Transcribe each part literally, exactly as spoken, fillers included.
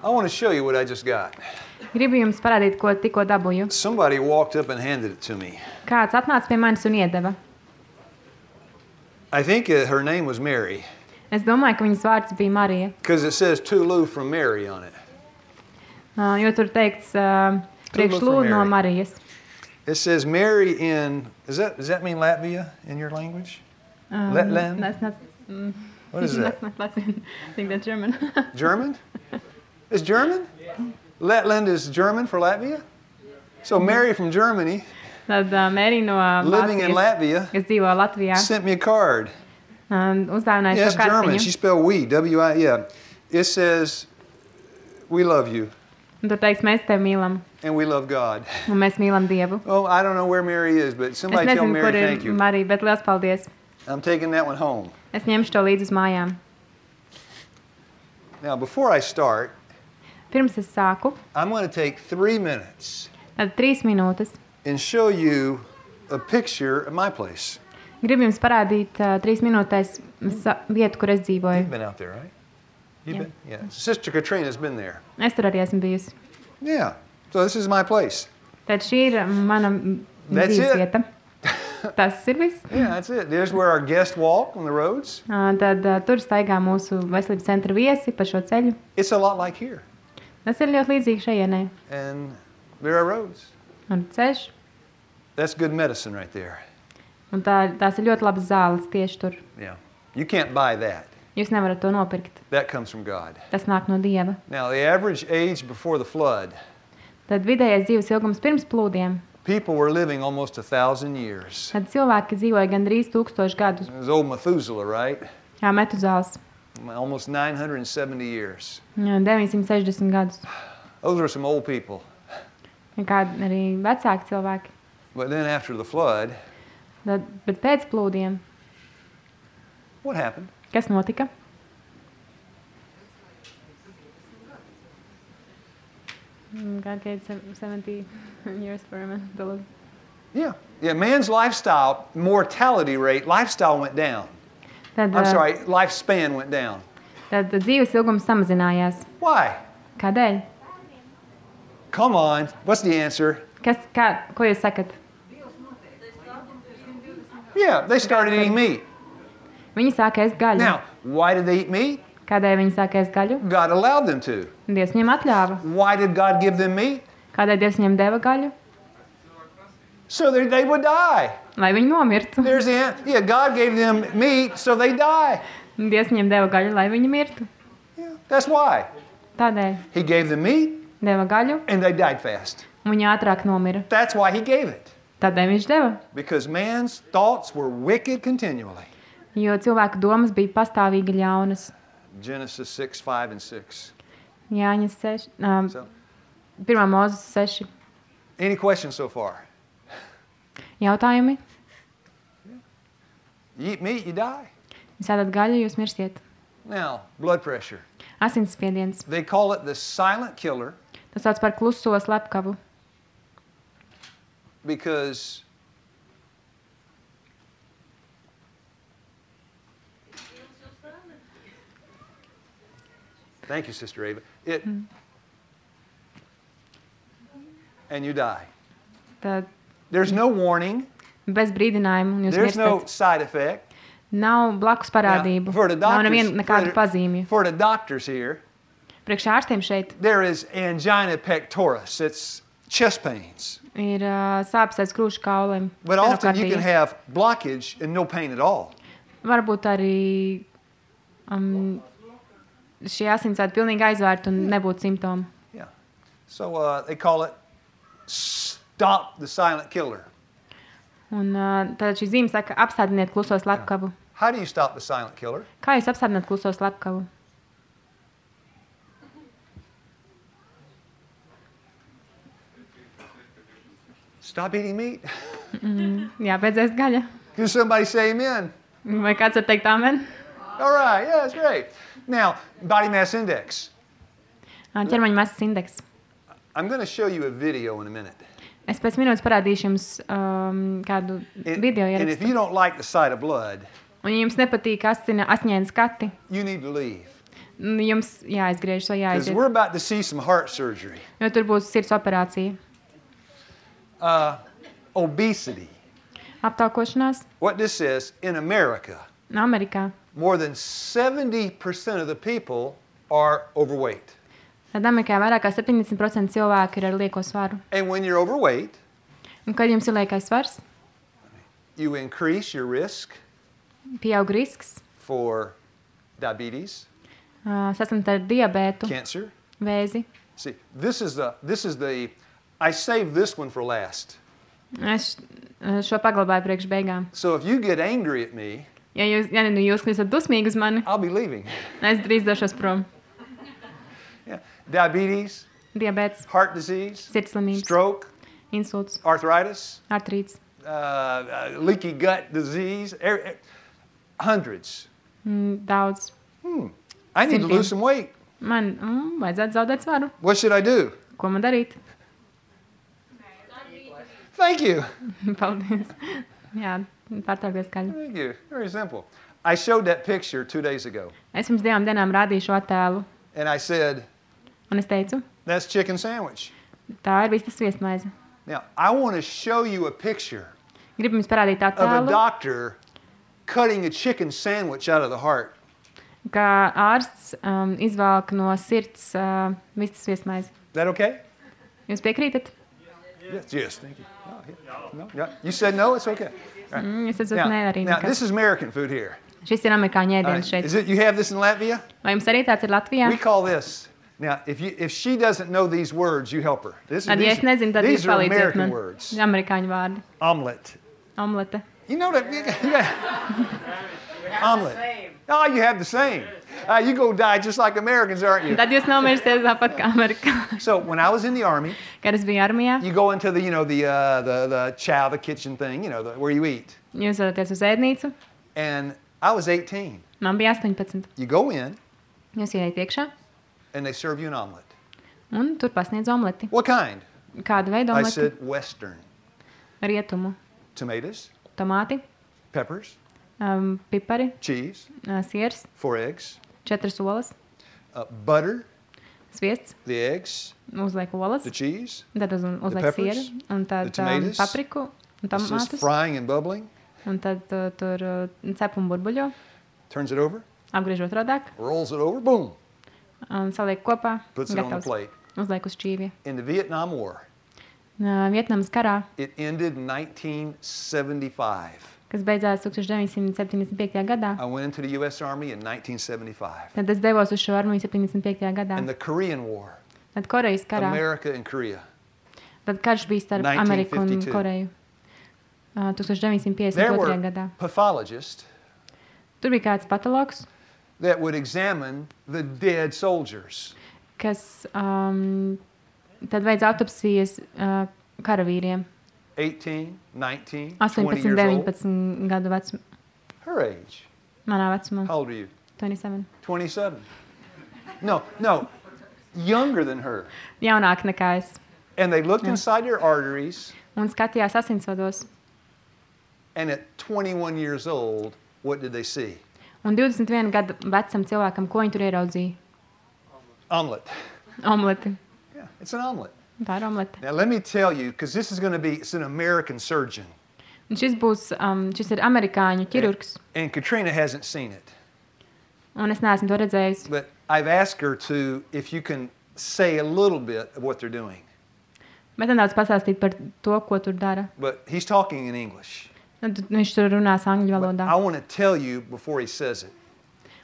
I want to show you what I just got. Gribu jums parādīt, ko tikko dabūju. Somebody walked up and handed it to me. Kāds atnāca pie manis un iedeva. I think uh, her name was Mary. Es domāju, ka viņas vārds bija Marija. Because it says to Lou from Mary on it. Uh, jo tur teikts uh, priekš Lū no Marijas. It says Mary in, is that, does that mean Latvia in your language? Um, Letland? That's not, mm, What is that? That's not Latvian. I think that's German. German? It's German? Letland is German for Latvia? So Mary from Germany, Tad uh, Mērija no uh, living in Latvia, kas dzīvo Latvijā, sent me a card. Um, uzdāvināja Yes, šo German. kartiņu. She spelled we, W I, yeah. It says, we love you. Un tur teiks, mēs tevi mīlam. And we love God. Un mēs mīlam Dievu. Oh, I don't know where Mary is, but Es somebody tell nezinu, Mary kur ir thank you. Marija, bet liels paldies. I'm taking that one home. Es ņemšu to līdzi uz mājām. Now, before I start, Pirms es sāku, I'm going to take three minutes tad trīs minūtes. and show you a picture of my place. Gribu jums parādīt uh, trīs minūtēs sa- vietu, kur es dzīvoju. You've been out there, right? You've Yeah. been? Yeah. Sister Katrina's been there. Es tur arī esmu bijusi. Yeah. So this is my place. Tad šī ir mana m- That's dzīves it. vieta. Tas ir viss. Yeah, that's it. There's where our guests walk on the roads. Uh, Tad uh, tur staigā mūsu veselības centra viesi pa šo ceļu. It's a lot like here. Tas ir ļoti līdzīgi šajienai. And there are roads. Un ceļš. That's good medicine right there. Un tā, tās ir ļoti labas zāles tieši tur. Yeah. You can't buy that. Jūs nevarat to nopirkt. That comes from God. Tas nāk no Dieva. Now, the average age before the flood, Tad vidējais dzīves ilgums pirms plūdiem. people were living almost a thousand years. Tad cilvēki dzīvoja gandrīz tūkstoši gadus. It was old Methuselah, right? Jā, Metuzāls. Almost nine hundred seventy years. Jā, deviņsimt sešdesmit gadus. Those were some old people. Un kādi arī vecāki cilvēki. But then after the flood, Tad, bet pēc plūdiem, what happened? kas notika? Mm, God gave seventy years for a man to live. Yeah. Yeah, man's lifestyle, mortality rate, lifestyle went down. Tad, I'm uh, sorry, lifespan went down. Tad dzīves ilgums samazinājās. Why? Kādēļ? Come on. What's the answer? Kas, kā, ko jūs sakat? Yeah, they started eating meat. Viņi sāka ēst gaļu. Now, why did they eat meat? Kādēļ viņi sāka ēst gaļu? God allowed them to. Dievs viņiem atļāva. Why did God give them meat? Kādēļ Dievs viņiem deva gaļu? So they, they would die. Lai viņi nomirtu. There's the an- yeah, God gave them meat, so they die. Dievs viņiem deva gaļu, lai viņi mirtu. Yeah, that's why. Tādēļ He gave them meat, deva gaļu, and they died fast. un viņi ātrāk nomira. That's why he gave it. Tādēļ viņš deva. Because man's thoughts were wicked continually. Jo cilvēku domas bija pastāvīgi ļaunas. Genesis six, five, and six. Jāņas seši, um, So, pirmā mūzes seši. any questions so far? Jautājumi? You eat meat, you die. Jūs ēdat gaļu, jūs mirsiet. Now, blood pressure. Asinsspiediens. They call it the silent killer Tas sauc par kluso slepkavu. because thank you, Sister Ava. It and you die. Tad There's no warning. bez brīdinājumu, un jūs There's no mirstat. side effect. Nav blakus parādību. Now, for the Nav doctors, neviena nekādu for, pazīmju. for the doctors here, Priekš ārstiem šeit there is angina pectoris. It's chest pains. ir uh, sāpes aiz krūšu kauliem. But often you Stenokardija. can have blockage and no pain at all. Varbūt arī um, šie asinsvadi pilnīgi aizvērti un nebūtu simptomu. Yeah. So uh, they call it stop the silent killer. Un uh, tad šī zīme saka, apstādiniet kluso slepkavu. How do you stop the silent killer? Kā jūs apstādināt kluso slepkavu? Stop eating meat. Mm, jā, beidzēs gaļa. Can somebody say amen? Vai kāds var teikt amen? All right. Yeah, that's great. Now, body mass index. Ā, Ķermeņa masas indeks. I'm going to show you a video in a minute. Es pēc minūtes parādīšu jums um, kādu And, video and if ierakstu. you don't like the sight of blood, Un ja jums nepatīk asina, asņēni skati, you need to leave. Nu, Jums jāizgriež, vai Because jāaiziet. we're about to see some heart surgery. Jo tur būs sirds operācija. Uh, obesity. Aptaukošanās What this is, in America, Amerikā. more than seventy percent of the people are overweight. Tad Amerikā vairāk kā septiņdesmit procenti cilvēku ir ar lieko svaru. And when you're overweight, Un kad jums ir liekais svars, you increase your risk pieaug risks for diabetes, uh, saslimt ar diabētu, cancer. vēzi. See, this is the this is the I saved this one for last. Es uh, šo paglabāju priekš beigām. So if you get angry at me, Ja jūs, ja nu jūs kļūstat dusmīgi uz mani, I'll be leaving. es drīz došos prom. Yeah. Diabetes, Diabēts, heart disease, sirdslimības, stroke, insults, arthritis, artrīts, uh, uh, leaky gut disease, er, er, hundreds. mm, daudz. I need to Simtiem. lose some weight. Man mm, vajadzētu zaudēt svaru. What should I do? Ko man darīt? Thank you. Paldies. Jā, pārtraukies skaļi. Thank you. Very simple. I showed that picture two days ago, Es pirms divām dienām rādīju šo attēlu, and I said, un es teicu, that's chicken sandwich. tā ir vistas viesmaize. Now, I want to show you a picture Gribu jums parādīt of a attēlu, doctor cutting a chicken sandwich out of the heart. kā ārsts um, izvelk no sirds uh, vistas viesmaizi. Is that okay? Jūs piekrītat? Yes, yes, thank you. Oh, yeah. No, yeah. You said no, it's okay. All right. Mm, es esmu Now, nē arī now, nekas. this is American food here. Šis ir amerikāņu All ēdiens right. šeit. Is it, you have this in Latvia? Vai jums arī tāds ir Latvijā? We call this. Now, if, you, if she doesn't know these words, you help her. This is, Tad, ja these, es nezinu, tad these jūs are palīdziet American man. words. Amerikāņu vārdi. Omelet. Omlete. You know that? You got, you got, omelet. Oh, you have the same. Uh, you go die just like Americans, aren't you? Tad jūs nomirsiet tāpat kā amerikāņi. So when I was in the army, Kad es biju armijā, you go into the, you know, the, uh, the, the chow, the kitchen thing, you know, the, where you eat. jūs dodaties uz ēdnīcu. And I was eighteen. Man bija astoņpadsmit. You go in, Jūs ieiet iekšā, and they serve you an omelet. un tur pasniedz omleti. What kind? Kādu veidu I omleti? said Western. Rietumu. Tomatoes, Tomāti, peppers, um, pipari, cheese, uh, siers, four eggs, četras olas, uh, butter, sviests, the eggs, uzliek olas, the cheese. tad uz, uzliek peppers, sieru, un tad the um, tomatoes, papriku un It's just tomātus, frying and bubbling. un tad uh, tur uh, cep un burbuļo, Turns it over, apgriež otrādāk, rolls it over, boom, un saliek kopā, puts it on the gatavs. plate. Uzliek uz šķīvja. In the Vietnam War, Uh, Vietnamas karā, it ended in nineteen seventy-five. kas beidzās deviņdesmit septiņdesmit piektajā gadā, I went into the U S Army in nineteen seventy-five. tad es devos uz šo armiju septiņdesmit piektajā gadā. And the Korean War, Tad Korejas karā, America and Korea. tad karš bija starp Ameriku un nineteen fifty-two. Koreju. Uh, deviņdesmit There piecdesmit otrajā were gadā. pathologists Tur bija kāds patologs, that would examine the dead soldiers. kas um, tad veids autopsijas uh, karavīriem. eighteen, nineteen, twenty astoņpadsmit, years old. deviņpadsmit gadu vecumā. Her age. Manā vecumā. How old are you? astoņdesmit septiņi. twenty-seven. No, no, younger than her. Jaunāk nekā es. And they looked inside their arteries, Un skatījās asinsvados. and at twenty-one years old, what did they see? Un divdesmit viena gadu vecam cilvēkam, ko viņi tur ieraudzīja? Omelet. Omleti. Yeah, it's an omelet. Tā ir omlete. Now, let me tell you, because this is going to be, it's an American surgeon. Un šis būs, um, šis ir amerikāņu ķirurgs. And Katrina hasn't seen it. Un es neesmu to redzējis. But I've asked her to, if you can say a little bit of what they're doing. Bet nedaudz pastāstīt par to, ko tur dara. But he's talking in English. Un tad viņš tur runās angļu But valodā. I want to tell you before he says it.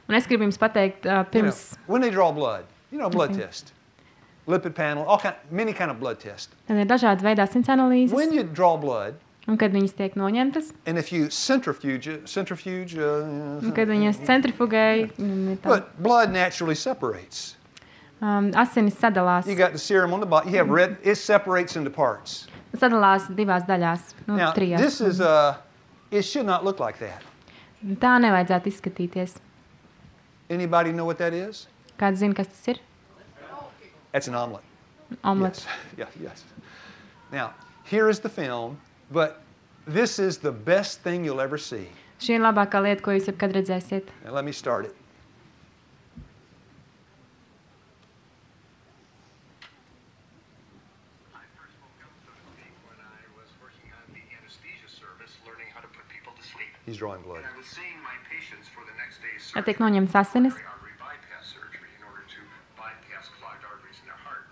Un es gribu jums pateikt, uh, You know, pirms when they draw blood, you know, blood Mhm. test, lipid panel, all kind, many kind of blood tests. tad ir dažādi veidi asins analīzes. When you draw blood, Un kad viņas tiek noņemtas, and if you centrifuge, it- centrifuge, uh, un kad viņas centrifugēja, un ir tā, but blood naturally separates. um, asinis sadalās. You got the serum on the bottom. You have red. It separates into parts. Sadalās divās daļās. Nu, Now, trijās. this is uh, it should not look like that. Tā nevajadzētu izskatīties. Anybody know what that is? Kāds zina, kas tas ir? That's an omelet. Omlets. Yes. Yeah, yes. Now, here is the film, but this is the best thing you'll ever see. Šī ir labākā lieta, ko jūs jebkad redzēsiet. Now, let me start it. He's drawing blood. I was seeing my patients for the next day's Ja tiek surgery, noņemts asinis artery bypass surgery, in order to bypass clogged arteries in their heart.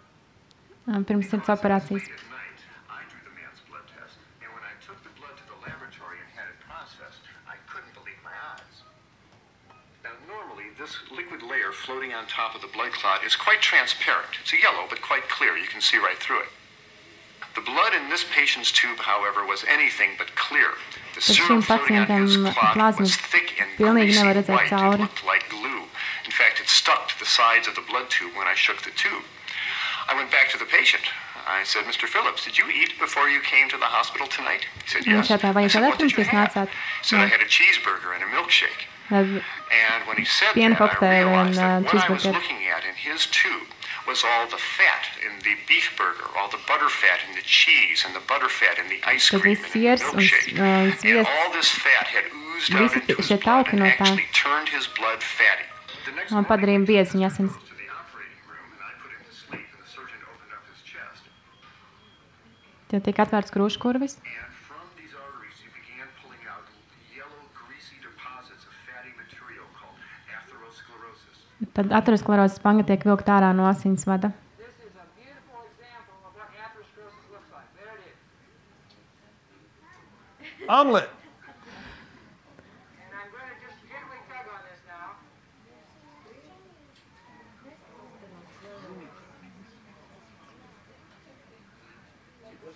uh, pirms sirds operācijas. Late at night, I drew the man's blood test, and when I took the blood to the laboratory and had it processed, I couldn't believe my eyes. Now, normally, this liquid layer floating on top of the blood clot is quite transparent. It's a yellow, but quite clear. You can see right through it. The blood in this patient's tube, however, was anything but clear. The Tad serum šim floating on his pacientam clot plazma was thick and pilnīgi greasy nevar redzēt white. It cauri. looked like glue. In fact, it stuck to the sides of the blood tube when I shook the tube. I went back to the patient. I said, Mister Phillips, did you eat before you came to the hospital tonight? He said, Viņš yes. jautā, vai I jūs said, what ēdat did pirms you jūs have? nācāt? He said, I had a cheeseburger and a milkshake. Tad And when he said piena that, I kokteili un realized uh, that what I was cheeseburger. looking at in his tube was all the fat in the beef burger, all the butter fat in the cheese, and the butter fat in the ice Tad cream viss and in the siers un milkshake. uh, And sviests. all this fat had oozed out Visi into his šie blood tauki and no tā actually turned his blood fatty. The next un morning, padarīja biezi viņa asins. to the operating room, and I put him to sleep, and the surgeon opened up his chest. Tad tiek atvērts krūškurvis. And from these arteries, he began pulling out yellow, greasy deposits of fatty material called atherosclerosis. Tad aterosklerozes panga tiek vilkt ārā no asinsvada. This is a beautiful example of what atherosclerosis looks like. There it is. Omelet. And I'm going to just gently tug on this now.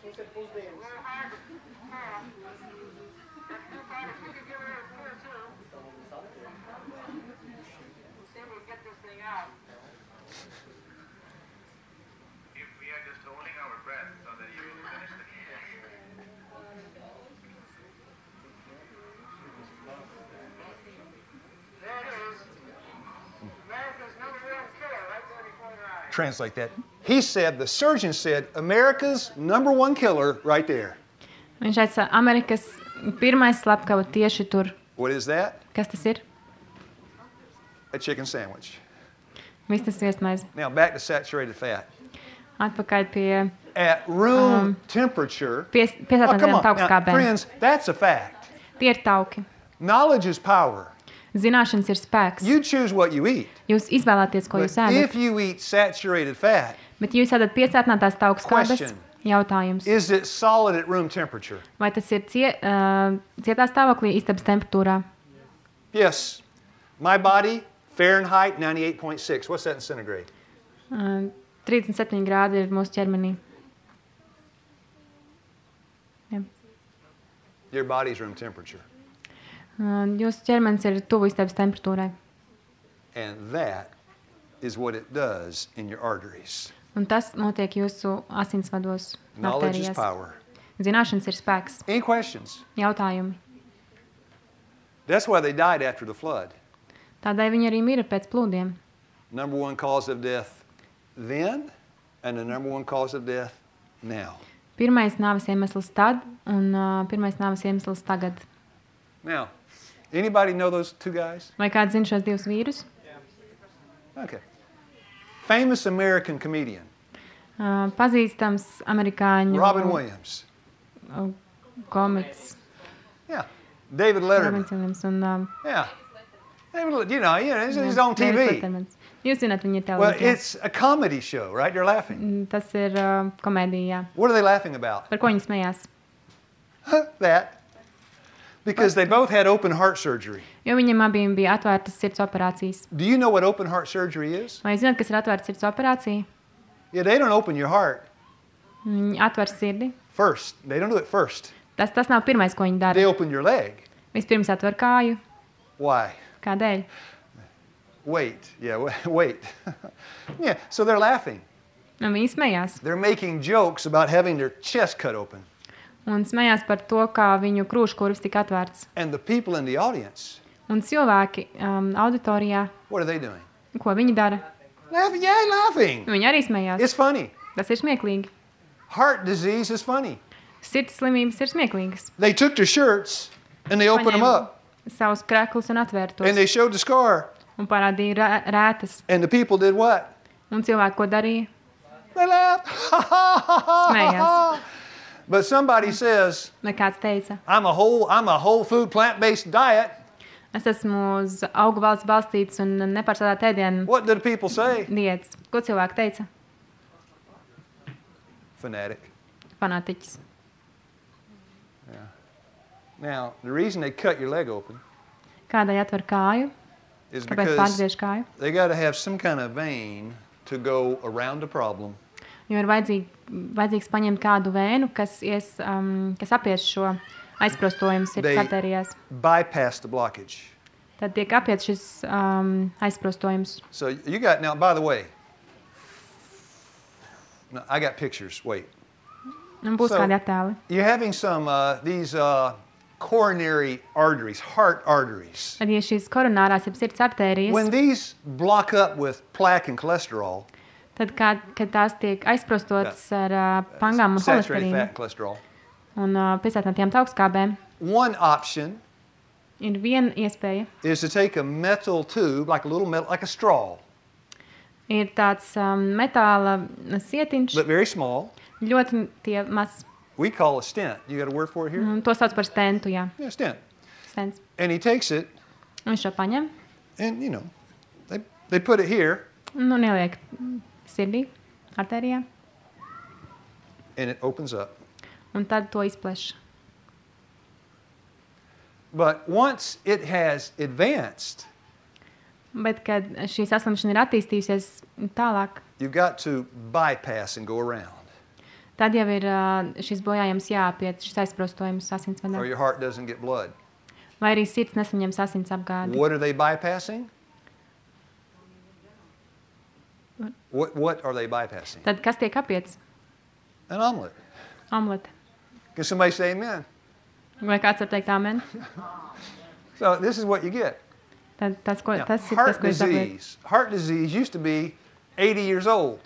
A little hard to pass. That's too far. If you could give it a pull too. See if we can get this thing out. If we are just holding our breath so that you will finish the There it is. America's number one killer right there before your eyes. Translate that. He said, the surgeon said, America's number one killer right there. Viņš teica, Amerikas pirmais slepkava tieši tur. What is that? Kas tas ir? A chicken sandwich. Viss tas viesmaize. Now back to saturated fat. Atpakaļ pie At room Um, temperature. pies, Oh, piesātām come tādiem on. Now, taukskābēm. friends, that's a fact. Tie ir tauki. Knowledge is power. Zināšanas ir spēks. You choose what you eat. Jūs izvēlēties, ko But jūs ēdat. if you eat saturated fat, Bet jūs ēdat piesātinātās taukskābes. Question. Jautājums. is it solid at room temperature? Vai tas ir cie, uh, cietā stāvoklī, istabas temperatūrā? Yes. My body, Fahrenheit ninety-eight point six. What's that in centigrade? Uh, trīsdesmit septiņi grādi ir mūsu ķermenī. Jā. Your body's room temperature. Uh, jūsu ķermenis ir tuvu istabas temperatūrai. And that is what it does in your arteries. Un tas notiek jūsu asinsvados, Knowledge is artērijās. power. Zināšanas ir spēks. Any questions? Jautājumi. That's why they died after the flood. Tādēļ viņi arī mira pēc plūdiem. Number one cause of death then, and the number one cause of death now. Pirmais nāves iemesls tad, un uh, pirmais nāves iemesls tagad. Now, anybody know those two guys? Vai kāds zina šos divus vīrus? Okay. Famous American comedian, Uh, pazīstams amerikāņu Robin Williams. uh, komiks. Yeah. David Letterman. Robins Williams un um, Yeah. David, you know, you know, he's, he's on T Davids V. Lettermans. Jūs zināt, viņi ir Well, televīzijā. it's a comedy show, right? They're laughing. Mm, Tas ir uh, komēdija. What are they laughing about? Par ko viņi smējās? That. Because they both had open heart surgery. Jo viņiem abiem bija atvērtas sirds operācijas. Do you know what open heart surgery is? Vai jūs zināt, kas ir atvērta sirds operācija? Yeah, they don't open your heart Viņi atver sirdi. first. They don't do it first. Tas, tas nav pirmais, ko viņi They dara. open your leg. Vispirms atver kāju. Why? Kādēļ? Wait. Yeah, wa- wait. Yeah, so they're laughing. Un viņi smējās. They're making jokes about having their chest cut open. Un smējās par to, kā viņu krūškurvis tika atvērts. And the people in the audience, Un cilvēki um, auditorijā, what are they doing? ko viņi dara? Laughing. Yeah, laughing. Viņi arī smējās. It's funny. Tas ir smieklīgi. Heart disease is funny. Sirds slimības ir smieklīgas. They took their shirts and they opened them Paņēma up savus kreklus un atvēra tos. and they showed the scar. Un parādīja rē- rētas. And the people did what? Un cilvēki, ko darīja? They laughed. Smējās. But somebody says, Vai kāds teica, I'm a whole, I'm a whole food plant-based diet. es esmu uz augu valsts balstīts un nepārsādāt ēdienu What did people say? diētas. Ko cilvēki teica? Fanatic. Fanātiķis. Now, the reason they cut your leg open Kādai atver kāju? is Kāpēc because pārgriež kāju? they got to have some kind of vein to go around the problem Jo ir vajadzīgi, vajadzīgs paņemt kādu vēnu, kas, ies, um, kas apies šo aizprostojumu sirds They- artērijās. bypass the blockage. Tad tiek apiet šis um, aizprostojums. So you got, now, by the way, no, I got pictures. Wait. Un būs So- kādi attēli. You're having some, uh, these uh, coronary arteries, heart arteries. Tad, ja šīs koronārās, ja sirds artērijas, When these block up with plaque and cholesterol, tad, kā, kad tās tiek aizprostotas ar uh, pangām un saturated fat holesterīnu and cholesterol, un uh, piesātinātiem augstskābēm, one option ir viena iespēja. is to take a metal tube, like a little metal, like a straw, Ir tāds um, metāla sietiņš, but very small. ļoti tie maz. We call a stent. You got a word for it here? Un to sauc par stentu, jā. Yeah, stent. Stents. And he takes it, Un viņš šo paņem and you know, they, they put it here, un un ieliek sirdī, artērijā, and it opens up. un tad to izpleš. But once it has advanced, Bet, kad šī saslimšana ir attīstījusies tālāk, you've got to bypass and go around, tad jau ir uh, šis bojājums jāapiet, šis aizprostojums or asinsvadā. your heart doesn't get blood. Vai arī sirds nesaņems asins apgādi. What are they bypassing? What, what are they bypassing? Tad kas tiek apiets? An omelet. Omlete. Can somebody say amen? Vai kāds var teikt amen? So this is what you get. Tad tas, ko, Now, tas ir tas, heart ko es dabūju. disease. Heart disease used to be eighty years old,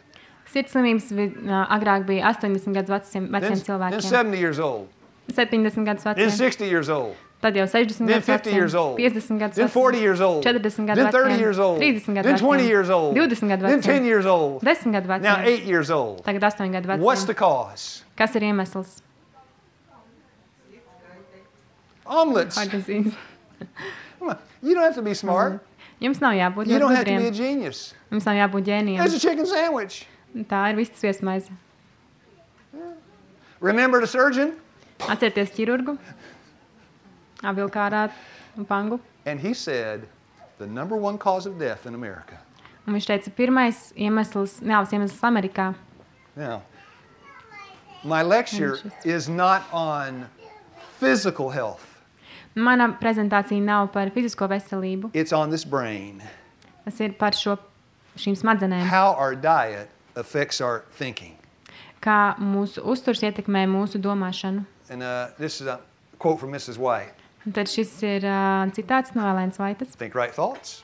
Sirds slimības vi- ā, agrāk bija astoņdesmit gadus veciem, then, veciem then cilvēkiem. seventy years old, septiņdesmit gadus then veciem. sixty years old, Tad jau sešdesmit then gadus fifty years veciem. old, piecdesmit gadus then forty veciem. years old, četrdesmit then gadu thirty veciem. years old, trīsdesmit gadu then twenty veciem. years old, divdesmit gadu then veciem. ten years old, desmit gadu now veciem. eight years old. Tagad astoņi gadu What's the veciem. cause? Kas ir iemesls? Omelets. Heart disease. Come on. You don't have to be smart. Jums nav jābūt You ļoti don't have to be a gudriem. genius. Jums nav jābūt ģēnijam. There's a chicken sandwich. Tā ir vistas viesmaize. Remember the surgeon? Atcerieties ķirurgu, avilkārā un pangu. And he said the number one cause of death in America. Un viņš teica, pirmais iemesls, nāves iemesls Amerikā. Now, my lecture is not on physical health. Mana prezentācija nav par fizisko veselību. It's on this brain. Tas ir par šo, šīm smadzenēm. How our diet affects our thinking. Kā mūsu uzturs ietekmē mūsu domāšanu. And uh, this is a quote from Missus White. Un tad šis ir uh, citāts no Elēnas Vaitas. Think right thoughts.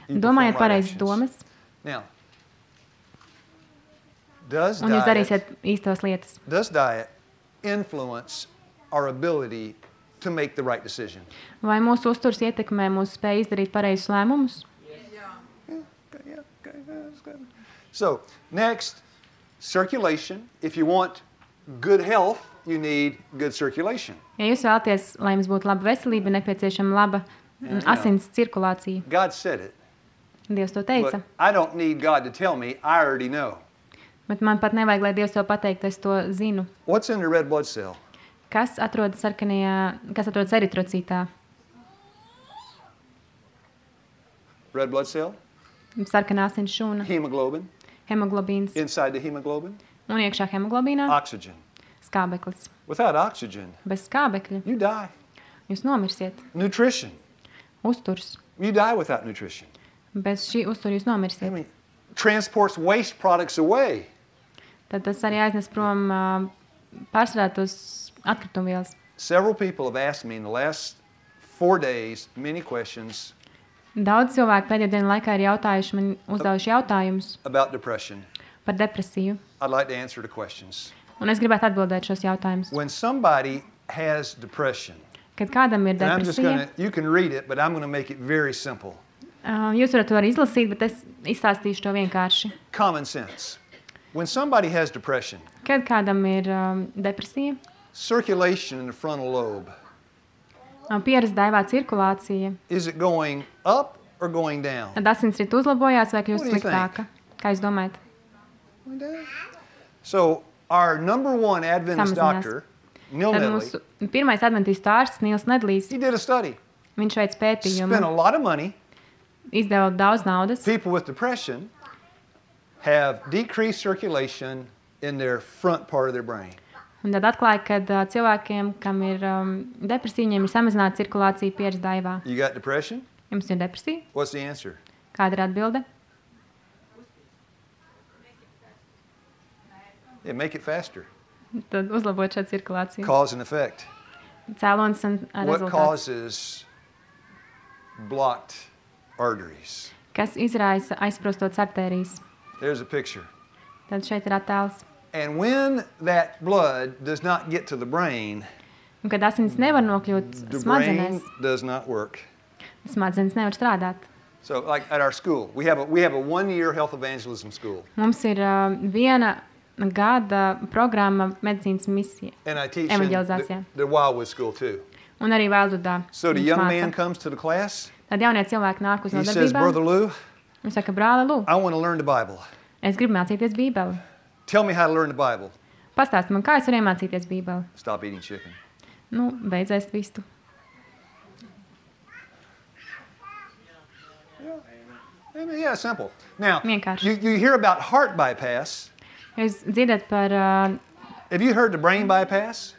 you Domājiet perform right pareizas actions. domas, Now, does un jūs diet, darīsiet īstos lietas. does diet influence our ability to make the right decision? Vai mūsu uzturs ietekmē mūsu spēju izdarīt pareizus lēmumus? Okay, yeah, okay, that's good. So, next, circulation. If you want good health, you need good circulation. Ja jūs vēlaties, lai jums būtu laba veselība, nepieciešama laba mm, asins cirkulācija. God said it. Dievs to teica. But I don't need God to tell me. I already know. Bet man pat nevajag, lai Dievs to pateikt, es to zinu. What's in the red blood cell? Kas atrodas sarkanajā, kas atrodas eritrocītā? Red blood cell, Sarkanā asins šūna, hemoglobin, hemoglobīns inside the hemoglobin, un iekšā hemoglobīnā oxygen. skābeklis. Without oxygen, Bez skābekļa you die. jūs nomirsiet. Nutrition. Uzturs. You die without nutrition. Bez šī uztura jūs I nomirsiet. mean, transports waste products away. Tad tas arī aiznes prom uh, pārstrādātos atkritumvielas. Several people have asked me in the last four days many questions Daudz cilvēku pēdējo dienu laikā ir jautājuši man, uzdevuši jautājumus about depression. par depresiju. I'd like to answer the questions. Un es gribētu atbildēt šos jautājumus. When somebody has depression, Kad kādam ir and I'm just depresija, going to, you can read it, but I'm going to make it very simple. uh, jūs varat to arī izlasīt, bet es izstāstīšu to vienkārši. Common sense. When somebody has depression, Kad kādam ir um, depresija, circulation in the frontal lobe, um, pieras daivā cirkulācija, is it going up or going down? tad asinsrite uzlabojās vai kļūst What do you sliktāka? Kā jūs domājat? Going down. So our number one Adventist Samazinās. doctor, Neil Tad Nedley, mūsu pirmais adventīstu ārsts Nils Nedlijs, he did a study. viņš veic Spent a pētījumu, lot of money. izdeva daudz naudas. People with depression have decreased circulation in their front part of their brain. Un tad atklāja, ka uh, cilvēkiem, kam ir um, depresija, viņiem ir samazināta cirkulācija pieras daivā. You got depression? Jums ir depresija? What's the answer? Kāda ir atbilde? Yeah, make it faster. Tad uzlabot šo cirkulāciju. Cause and effect. Cēlonis un uh, What rezultāts. causes blocked arteries? Kas izraisa aizprostotas artērijas. There's a picture. Tad šeit ir attēls. And when that blood does not get to the brain, Un kad asins nevar nokļūt the smadzenēs, brain does not work. smadzenes nevar strādāt. So, like at our school, we have a we have a one-year health evangelism school, Mums ir uh, viena gada programma medicīnas misija. and I teach in the, Evangelizācijā. the Wildwood School too. Un arī Veldudā. So the mums young māca. man comes to the class. Tad jaunie cilvēki nāk uz He says, "Brother nodarbībām. Lou, Viņš saka, brāli, lūk, I want to learn the Bible. es gribu mācīties Bībeli. Tell me how to learn the Bible." Pastāsti man, kā es varu iemācīties Bībeli. Stop eating chicken. Nu, beidz ēst vistu. I mean, yeah, simple. Now, Vienkārši. you, you hear about heart bypass. Jūs dzirdat par, uh, Have you heard the brain bypass?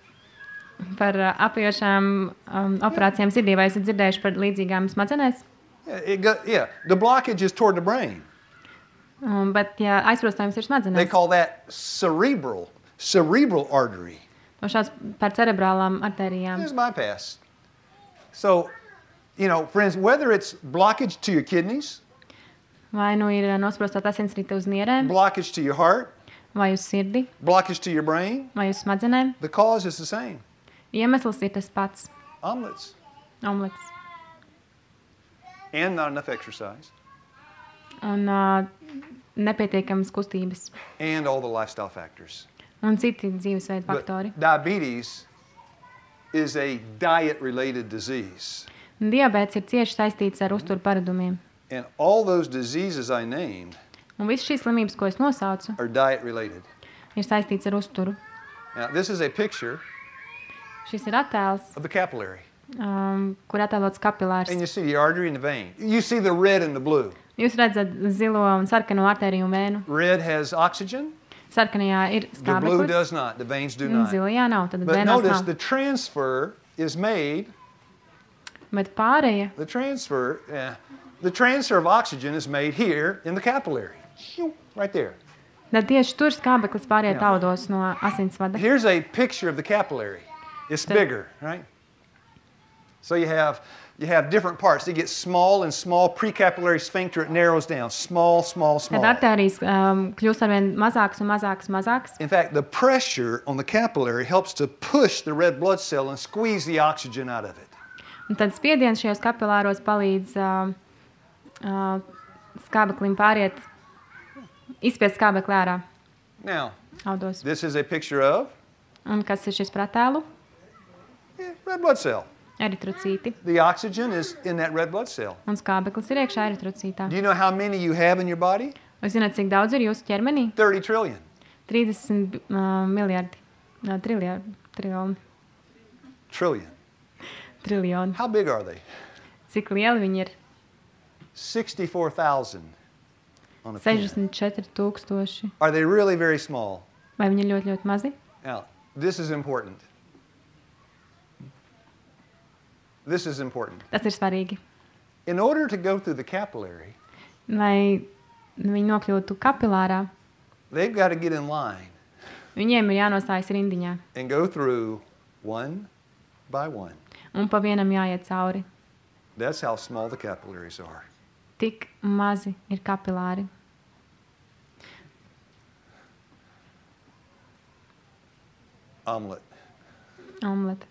par uh, apjošām um, operācijām sirdī, vai esat dzirdējuši par līdzīgām smadzenēs? Yeah, it go, yeah, the blockage is toward the brain. Um, bet, ja aizprostojums ir They smadzenēs, call that cerebral, cerebral artery. no šās par cerebrālām artērijām. It's bypass. So, you know, friends, whether it's blockage to your kidneys, Vai nu ir nosprostot asinsrite uz nierēm, blockage to your heart, vai uz sirdi, blockage to your brain, vai uz smadzenēm, the cause is the same. iemesls ir tas pats Omelets - omlets. and not enough exercise Un uh, nepietiekamas kustības. and all the lifestyle factors. Un citi dzīvesveida But faktori. diabetes is a diet-related disease. Un diabēts ir cieši saistīts ar uzturu paradumiem. And all those diseases I named Un visas šīs slimības, ko es nosaucu, are diet-related. ir saistīts ar uzturu. Now, this is a picture Šis ir attēls, of the capillary. um, kur attēlots kapilārs. And you see the artery and the vein. You see the red and the blue. Jūs redzat zilo un sarkano artēriju un vēnu. Red has oxygen. Sarkanajā ir The blue skābeklis, does not. The veins do un not. zilajā nav. Tad But vēnās notice nav. the transfer is made. Bet pārējie, The transfer, eh, the transfer of oxygen is made here in the capillary, right there. tad tieši tur skābeklis pāriet Jā. audos no asinsvada. Here's a picture of the capillary. It's The- bigger, right? So you have you have different parts. They get small and small. Precapillary sphincter, it narrows down. Small, small, small. Tad artērijas um, kļūst arvien mazāks un mazāks, mazāks. In fact, the pressure on the capillary helps to push the red blood cell and squeeze the oxygen out of it. Un tad spiediens šajos kapilāros palīdz uh, uh, skābeklim pāriet, izspiest skābekli ārā Now, audos. this is a picture of Un kas ir šis pratēlu? eh, red blood cell. Eritrocīti. The oxygen is in that red blood cell. Un skābeklis ir iekšā eritrocītā. Do you know how many you have in your body? Vai zināt, cik daudz ir jūsu ķermenī? thirty trillion. trīsdesmit uh, miljardi. Uh, triljardi. Triljoni. Trillion. Triljoni. How big are they? Cik lieli viņi ir? sixty-four thousand on a pin. sešdesmit četri tūkstoši. Are they really very small? Vai viņi ir ļoti, ļoti mazi? Now, this is important. This is important. Tas ir svarīgi. In order to go through the capillary, Lai viņi nokļūtu kapilārā, they've got to get in line viņiem ir jānostājas rindiņā. and go through one by one. Un pa vienam jāiet cauri. That's how small the capillaries are. Tik mazi ir kapilāri. Omelet. Omlete.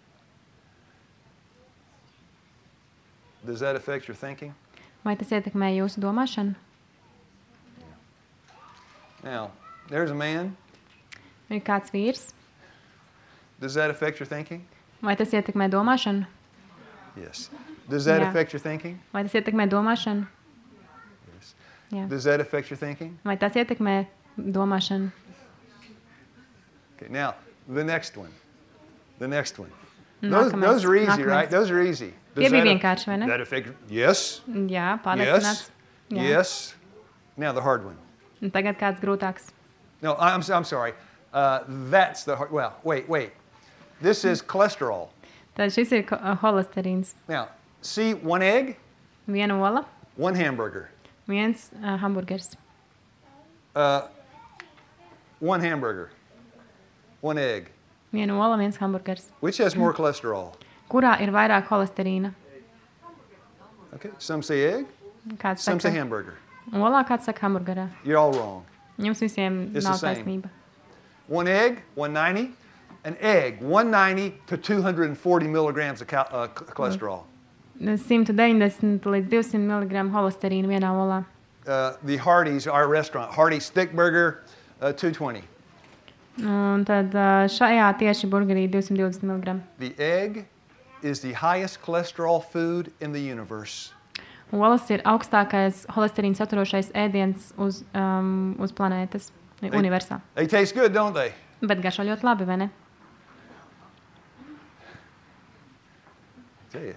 Does that affect your thinking? Vai tas ietekmē jūsu domāšanu? Now, There's a man. Ir kāds vīrs. Does that affect your thinking? Vai tas ietekmē domāšanu? Yes. Does that Yeah. affect your thinking? Vai tas ietekmē domāšanu? Yes. Jā. Does that affect your thinking? Vai tas ietekmē domāšanu? Okay, now, the next one. The next one. Those, Nākamais. those are easy, Nākamais. right? Those are easy. Tie bija that, vienkārši, vai ne? that affect, yes. Jā, Yes. pārliecināts. Jā. Yes. Now the hard one. Un tagad kāds grūtāks. No, I'm, I'm sorry. Uh, that's the hard, well, wait, wait. This is cholesterol. Tad šis ir ko- uh, holesterīns. Now, see one egg, Viena ola, one hamburger. viens uh, hamburgers. Uh, one hamburger, one egg. Viena ola, viens hamburgers. Which has more cholesterol? Kurā ir vairāk holesterīna? Okay, some say egg, Kāds some say saka hamburger. olā, kāds saka hamburgerā. You're all wrong. Jums visiem It's nav the same. taisnība. One egg, one ninety. An egg, one ninety to two hundred forty milligrams of cal- uh, ch- cholesterol. simt deviņdesmit līdz divsimt miligramu holesterīna vienā olā. Uh, the Hardee's, our restaurant, Hardee's Thick Burger, uh, two twenty. Un tad uh, šajā tieši burgerī divsimt divdesmit miligramu. The egg is the highest cholesterol food in the universe. Olas ir augstākais holesterīna saturošais ēdiens uz, um, uz planētas, universā. They taste good, don't they? Bet garšo ļoti labi, vai ne? Tell you.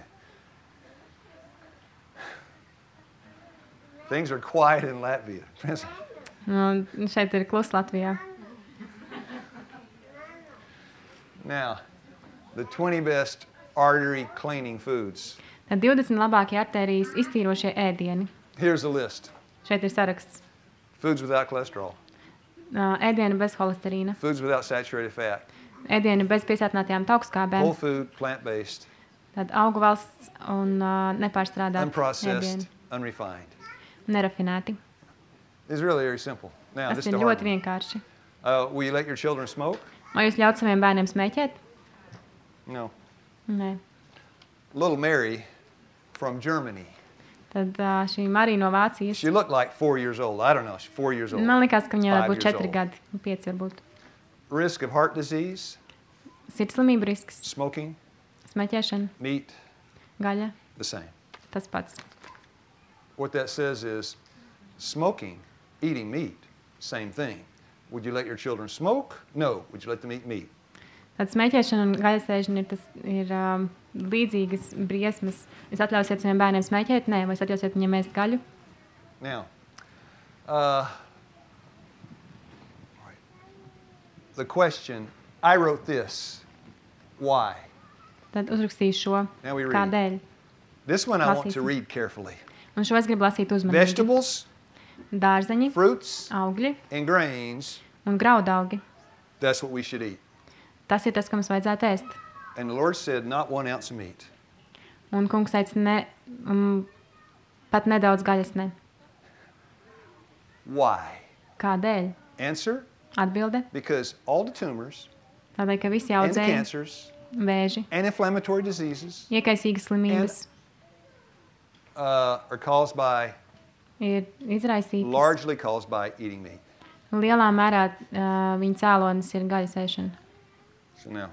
Things are quiet in Latvia. Un šeit ir klus Latvijā. Now, the twenty best artery cleaning foods. Tad divdesmit labākie artērijas iztīrošie ēdieni. Here's the list. Šeit ir saraksts. Foods without cholesterol. Uh, ēdieni bez holesterīna, Foods without saturated fat. ēdieni bez piesātinātajām Whole taukskābēm, food, plant-based, tad augu valsts un uh, nepārstrādāti unprocessed, ēdieni, unrefined. nerafinēti. It's really very simple. Now, Tas this ir is the hard ļoti one. vienkārši. Uh, will you let your children smoke? Vai jūs ļaut saviem bērniem smēķēt? No. Nē. Little Mary from Germany. Tad uh, šī Marija no Vācijas. She looked like four years old. I don't know. She's four years old. Man likās, ka viņai Five varētu būt years četri old. gadi, pieci varbūt. Risk of heart disease, Sirdslimība risks, smoking, smēķēšana, meat, gaļa, the same. tas pats. What that says is smoking, eating meat, same thing. Would you let your children smoke? No. Would you let them eat meat? Tad smēķēšana un gaļasēšana ir, tas, ir um, līdzīgas briesmas. Jūs atļausiet saviem bērniem smēķēt? Nē. Vai jūs atļausiet viņiem ēst gaļu? Now, uh, right. The question, I wrote this. Why? Tad uzrakstīšu šo. Now we read. Kādēļ? This one I want to Lasīsim. read carefully. Un šo es gribu lasīt uzmanīgi. Vegetables, Dārzeņi, fruits, augļi and grains, un graudaugi. that's what we should eat. Tas ir tas, ko mums vajadzētu ēst. And the Lord said, not one ounce of meat. Un kungs teica, ne, um, pat nedaudz gaļas ne. Why? Kādēļ? Answer, Atbilde. because all the tumors Tādēļ, ka visi and audzēji, cancers vēži, and inflammatory diseases iekaisīgas slimības uh, are caused by, ir izraisītas. largely caused by eating meat. Lielā mērā uh, viņa cēlonis ir gaļas ēšana. So now,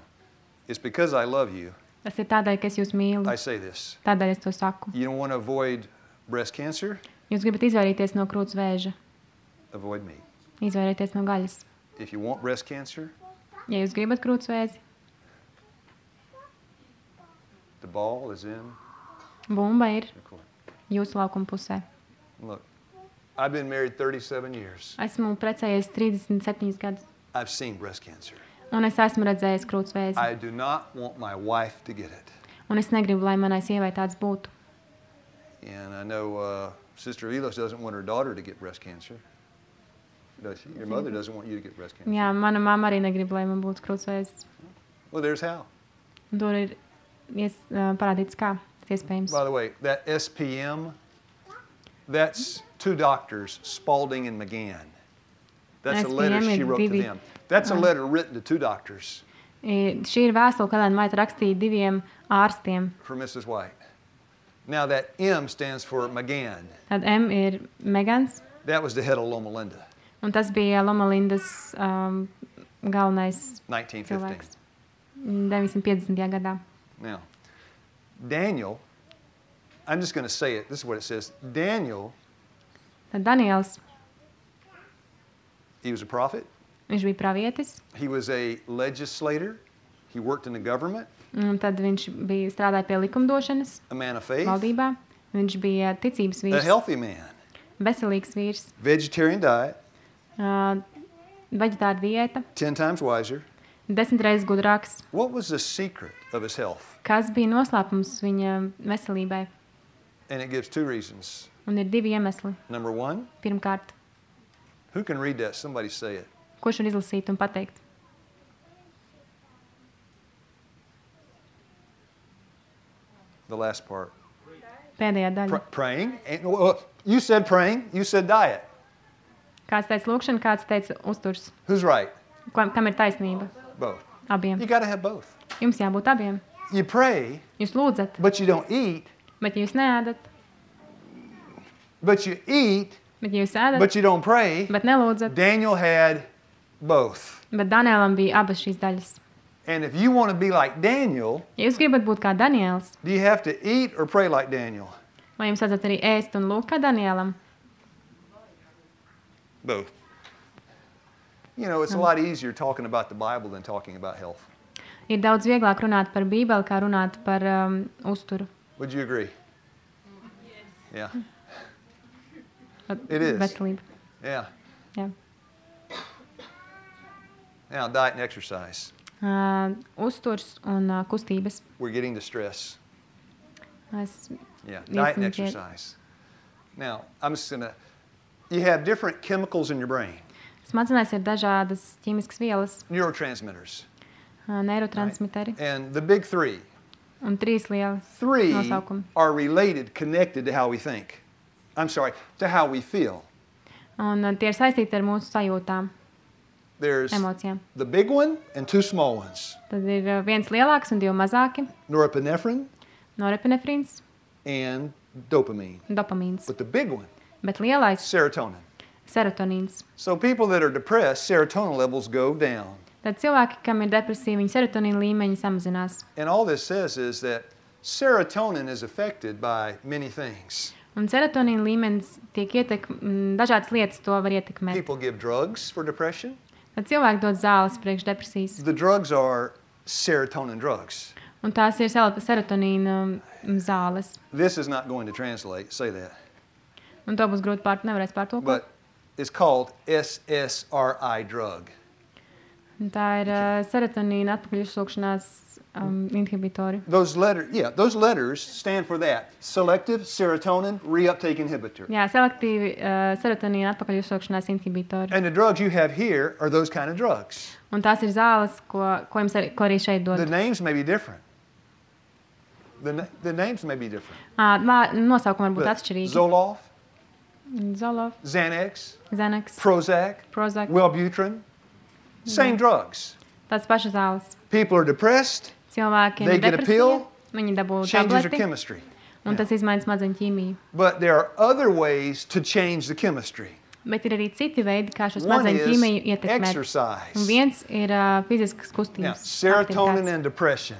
it's because I love you, Tas ir tādēļ, ka es jūs mīlu. I say this. Tādēļ es to saku. You don't want to avoid breast cancer? Jūs gribat izvairīties no krūts vēža, Avoid meat. izvairīties no gaļas. If you want breast cancer, Ja jūs gribat krūts vēzi, the ball is in bumba ir the court. jūsu laukuma pusē. Look, I've been married thirty-seven years. Esmu precējies trīsdesmit septiņus gadus, I've seen breast cancer. un es esmu redzējis krūts vēzi. I do not want my wife to get it. Un es negribu, lai manai sievai tāds būtu. And I know uh, Sister Elos doesn't want her daughter to get breast cancer. Does she? Your mother doesn't want you to get breast cancer. Jā, mana mamma arī negrib, lai man būtu krūts vēzis. Well, there's how. Un tur ir ies, uh, parādīts, kā tas iespējams. By the way, that S P M, that's two doctors, Spalding and McGann. That's a letter S P M she ir wrote to divi- them. That's a letter written to two doctors I, šī ir vēstule, kad Maita rakstīja diviem ārstiem. for Missus White. Now that M stands for McGann. Tad M ir Megans, That was the head of Loma Linda. Un tas bija Loma Lindas um, galvenais nineteen fifteen. cilvēks deviņsimt piecdesmitajā gadā. Now, Daniel, I'm just going to say it. This is what it says. Daniel, Tad Daniels, he was a prophet. viņš bija pravietis, He was a legislator. He worked in the government, un tad viņš bija strādāja pie likumdošanas a man of faith, valdībā. Viņš bija ticības a vīrs, healthy man, veselīgs vīrs, vegetarian diet, uh, veģetāra diēta, ten times wiser. desmit reizes gudrāks. What was the secret of his health? Kas bija noslēpums viņa veselībai? And it gives two reasons. Un ir divi iemesli. Number one, Pirmkārt, who can read that? Somebody say it. kurš var izlasīt un pateikt? The last part. Pēdējā daļa. Pr- praying. And, well, you said praying. You said diet. Kāds teica lūkšana, kāds teica uzturs. Who's right? Kam kam ir taisnība? Both. Abiem. You got to have both. Jums jābūt abiem. You pray, Jūs lūdzat, but you don't eat. bet ja jūs neēdat, But you eat, bet ja jūs ēdat, but you don't pray. bet nelūdzat. Daniel had both. Bet Danielam bija abas šīs daļas. And if you want to be like Daniel, Ja jūs gribat būt kā Daniels, do you have to eat or pray like Daniel? vai jums vajadzētu arī ēst un lūgt kā Danielam? Both. You know, it's a lot easier talking about the Bible than talking about health. Ir daudz vieglāk runāt par Bībeli, kā runāt par um, uzturu. Would you agree? Yeah. Par It is. Veselību. Yeah. Jā. Now, diet and exercise. Uh, uzturs un uh, kustības. We're getting to stress. Es, Yeah, Yes, diet and and get- exercise. Now, I'm just going to, you have different chemicals in your brain, Smadzenēs ir dažādas ķīmiskas vielas, neurotransmitters. uh, neirotransmiteri And the big three, un trīs lielas three nosaukumi. are related, connected to how we think. I'm sorry, to how we feel. Un uh, tie ir saistīti ar mūsu sajūtām, There's emocijām. the big one and two small ones. Tad ir uh, viens lielāks un divi mazāki Norepinephrine - norepinefrīns and dopamine. un dopamīns. But the big one, Bet lielais serotonin. - serotonīns. So people that are depressed, serotonin levels go down. Tad cilvēki, kam ir depresija, viņa serotonīna līmeņi samazinās. And all this says is that serotonin is affected by many things. Un serotonīna līmenis tiek ietekmēts, dažādas lietas to var ietekmēt. People give drugs for depression. Tad cilvēki dod zāles priekš depresijas. The drugs are serotonin drugs. Un tās ir sel- serotonīna um, zāles. This is not going to translate, say that. Un to būs grūti pār, nevarēs pārtulkot. But it's called S S R I drug. Un tā ir uh, serotonīna atpakaļ uzsūkšanās um, inhibitori. Those letters, yeah, those letters stand for that. Selective serotonin reuptake inhibitor. Jā, selektīvi uh, serotonīna atpakaļ uzsūkšanās inhibitori. And the drugs you have here are those kind of drugs. Un tās ir zāles, ko, ko, jums arī, ko arī šeit The dod. names may be different. The, na- the names may be different. Uh, nosaukumi var būt But atšķirīgi. Zoloft, Zolof, Xanax, Xanax, Prozac, Prozac. Wellbutrin, same drugs. Tās pašas zāles. People are depressed, Cilvēkiem They ir get a depresija, pill, viņi dabū changes their tableti, chemistry. un tas izmaina smadzeņu ķīmiju. But there are other ways to change the chemistry. Bet ir arī citi veidi, kā šo One smadzeņu is ķīmiju ietekmēt. exercise. Un viens ir uh, fiziskas Now, kustības. serotonin aktivitātes. and depression.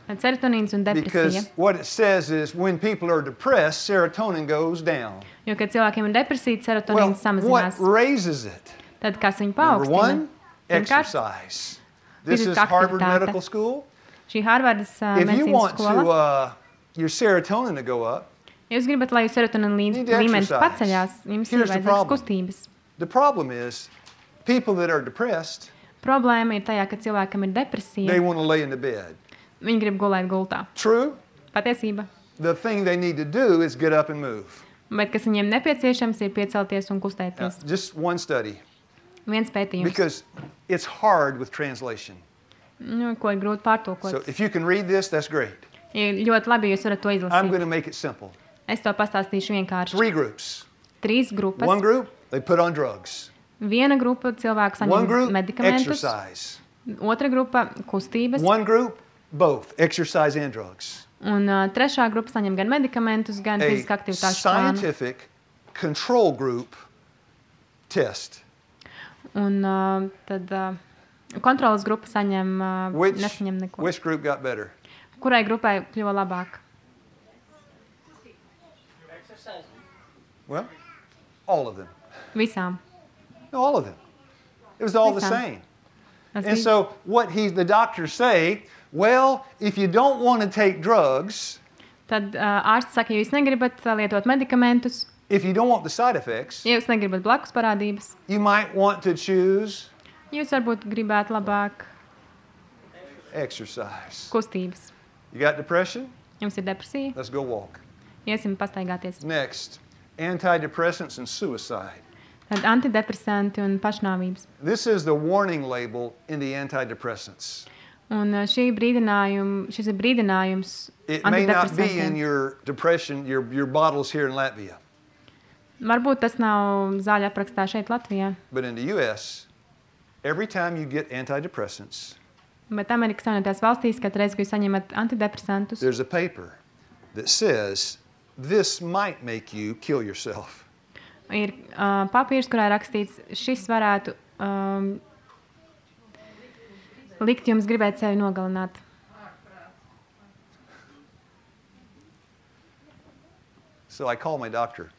Tad serotonīns un depresija. Because what it says is when people are depressed, serotonin goes down. Jo, kad cilvēkiem ir depresija, Well, serotonīns what samazinās. raises it? Tad kas viņu Number paaugstina? one, Pirmkārt, exercise. This is fiziska Harvard aktivitāte. Medical School. šī Harvardas uh, If you medicīnas want to, skola. uh, your serotonin to go up, Ja jūs gribat, lai jūsu serotonīna need līdz- to līmenis exercise. paceļās, jums ir Here's the vajadzīgas problem. kustības. the problem is people that are depressed, Problēma ir tajā, ka cilvēkam ir depresija. they want to lay in the bed. Viņi grib gulēt gultā. True? Patiesība. The thing they need to do is get up and move. Bet kas viņiem nepieciešams, ir piecelties un Now, kustēties. just one study, Viens pētījums, because it's hard with translation. nu, ko ir grūti pārtulkot. So if you can read this, that's great. Ir ļoti labi, ja jūs varat to I'm izlasīt. going to make it simple. Es to pastāstīšu vienkārši. Three groups. Trīs grupas. One group, they put on drugs. Viena grupa cilvēku One saņem group, medikamentus. exercise. Otra grupa kustības. One group, both, exercise and drugs. Un uh, trešā grupa saņem gan medikamentus, gan A fiziskā aktivitāšu plānu. scientific control group test. Un uh, tad uh, kontrolas grupa saņem, uh, Which, nesaņem neko. which group got better? Kurai grupai kļuva labāk? Well, all of them. Visām. No, all of them. It was all the Visām. same. Tas And bija- so what he, the doctors say, well, if you don't want to take drugs, Tad uh, ārsts saka, ja jūs negribat uh, lietot medikamentus, if you don't want the side effects, ja jūs negribat blakus parādības, you might want to choose jūs varbūt gribētu labāk exercise. kustības. You got depression? Jums ir depresija, Let's go walk. iesim pastaigāties. Next, antidepressants and suicide. Tad antidepresanti un pašnāvības. This is the warning label in the antidepressants. Un uh, šī brīdinājum, šis ir brīdinājums It may not be in antidepresantiem. your depression, your, your bottles here in Latvia, Varbūt tas nav zāļu aprakstā šeit Latvijā, but in the U S, every time you get antidepressants, bet Amerikas Savienotajās valstīs, kad reiz, kad jūs saņemat antidepresantus, there's a paper that says this might make you kill yourself. ir uh, papīrs, kurā rakstīts, šis varētu um, likt jums gribēt sevi nogalināt. So I called my doctor.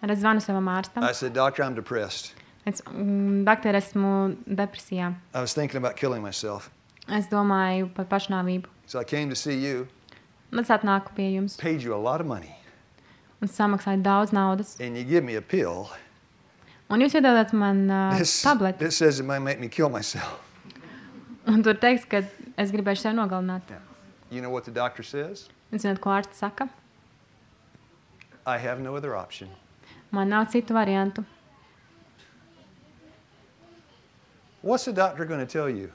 Tad es zvanu savam ārstam. I said, Doctor, I'm depressed. Es, mm, doktor, esmu depresijā. I was thinking about killing myself. Es domāju par pašnāvību. So I came to see you, Un es atnāku pie jums paid you a lot of money, un samaksāju daudz naudas. and you give me a pill Un jūs iedodat man uh, that tableti. says it might make me kill myself. Un tur teiks, ka es gribēšu sevi nogalināt. You know what the doctor says? Un zināt, ko ārsts saka? I have no other option. Man nav citu variantu. What's the doctor going to tell you?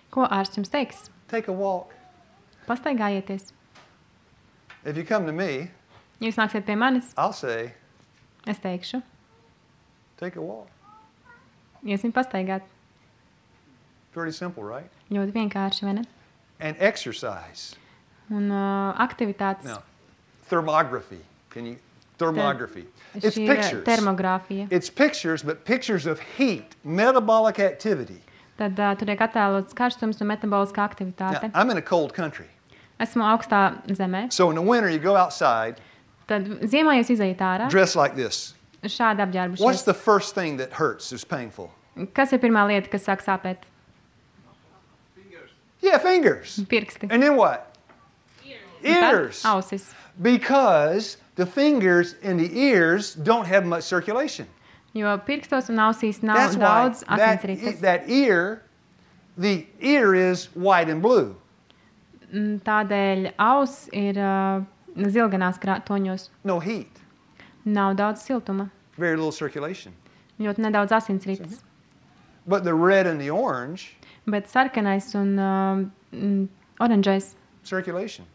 Ko ārsts jums teiks? Take a walk. Pastaigājieties. If you come to me, Ja jūs nāksiet pie manis, I'll say, es teikšu, take a walk. iesim pastaigāt. Pretty simple, right? Ļoti vienkārši, vai ne? And exercise. Un uh, aktivitātes. Now, thermography. Can you? Thermography. It's Šī ir pictures. termogrāfija. It's pictures, but pictures of heat, metabolic activity. Tad uh, tur tiek attēlots karstums un metaboliskā Now, aktivitāte. I'm in a cold country. Esmu augstā zemē. So in the winter, you go outside, Tad ziemā jūs izejat ārā, dressed like this. šādi What's apģērbušies. the first thing that hurts, is painful? Kas ir pirmā lieta, kas sāk sāpēt? Yeah, fingers. Pirksti. And then what? Ears. Tad ausis. Because the fingers and the ears don't have much circulation. Jo pirkstos un ausīs nav That's why daudz that, asinsrites. that ear, the ear is white and blue. Mm, Tādēļ auss ir uh, zilganās krā- toņos. No heat, Nav daudz siltuma. very little circulation. Ļoti nedaudz asinsrites. But the red and the orange, Bet sarkanais un uh, mm, oranžais, circulation.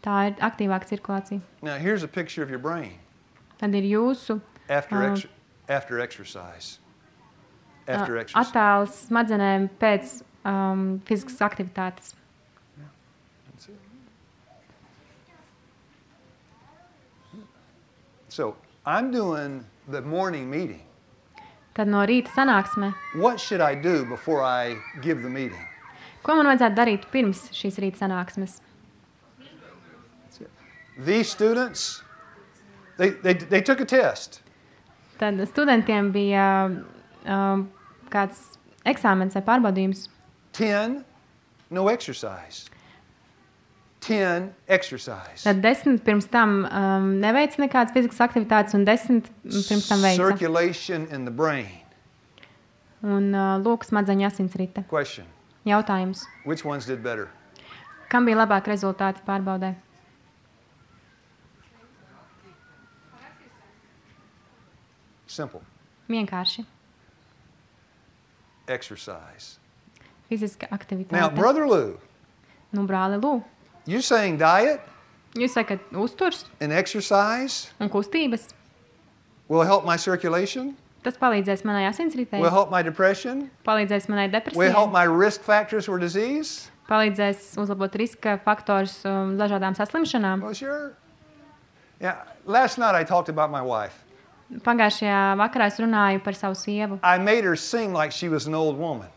tā ir aktīvāka cirkulācija. Now here's a picture of your brain Tad ir jūsu after, Uh, ex- after exercise. After uh, exercise. attēls smadzenēm pēc um, fiziskas aktivitātes. That's it. So I'm doing the morning meeting. Tad no rīta sanāksme. What should I do before I give the meeting? Ko man vajadzētu darīt pirms šīs rīta sanāksmes? These students, they, they, they took a test. Tad studentiem bija um, kāds eksāmens vai pārbaudījums. ten, no exercise. ten, exercise. Tad desmit pirms tam um, neveica nekādas fiziskas aktivitātes, un desmit pirms tam veica. Circulation in the brain. Un uh, lūk, smadzeņu asinsrite. Question. Jautājums. Which ones did better? Kam bija labāk rezultāti pārbaudē? Simple. Vienkārši. Exercise. Fiziska Now, aktivitāte. Brother Lou, Nu, brāli, lūk. you're saying diet Jūs sakat, uzturs and exercise un kustības. will help my circulation, Tas palīdzēs manai asinsritei, will help my depression, palīdzēs manai will help depresijai, my risk factors for disease? palīdzēs uzlabot riska faktors um, dažādām saslimšanām. Well, sure. Yeah, last night I talked about my wife. Pagājušajā vakarā es runāju par savu sievu. I made her sing like she was an old woman.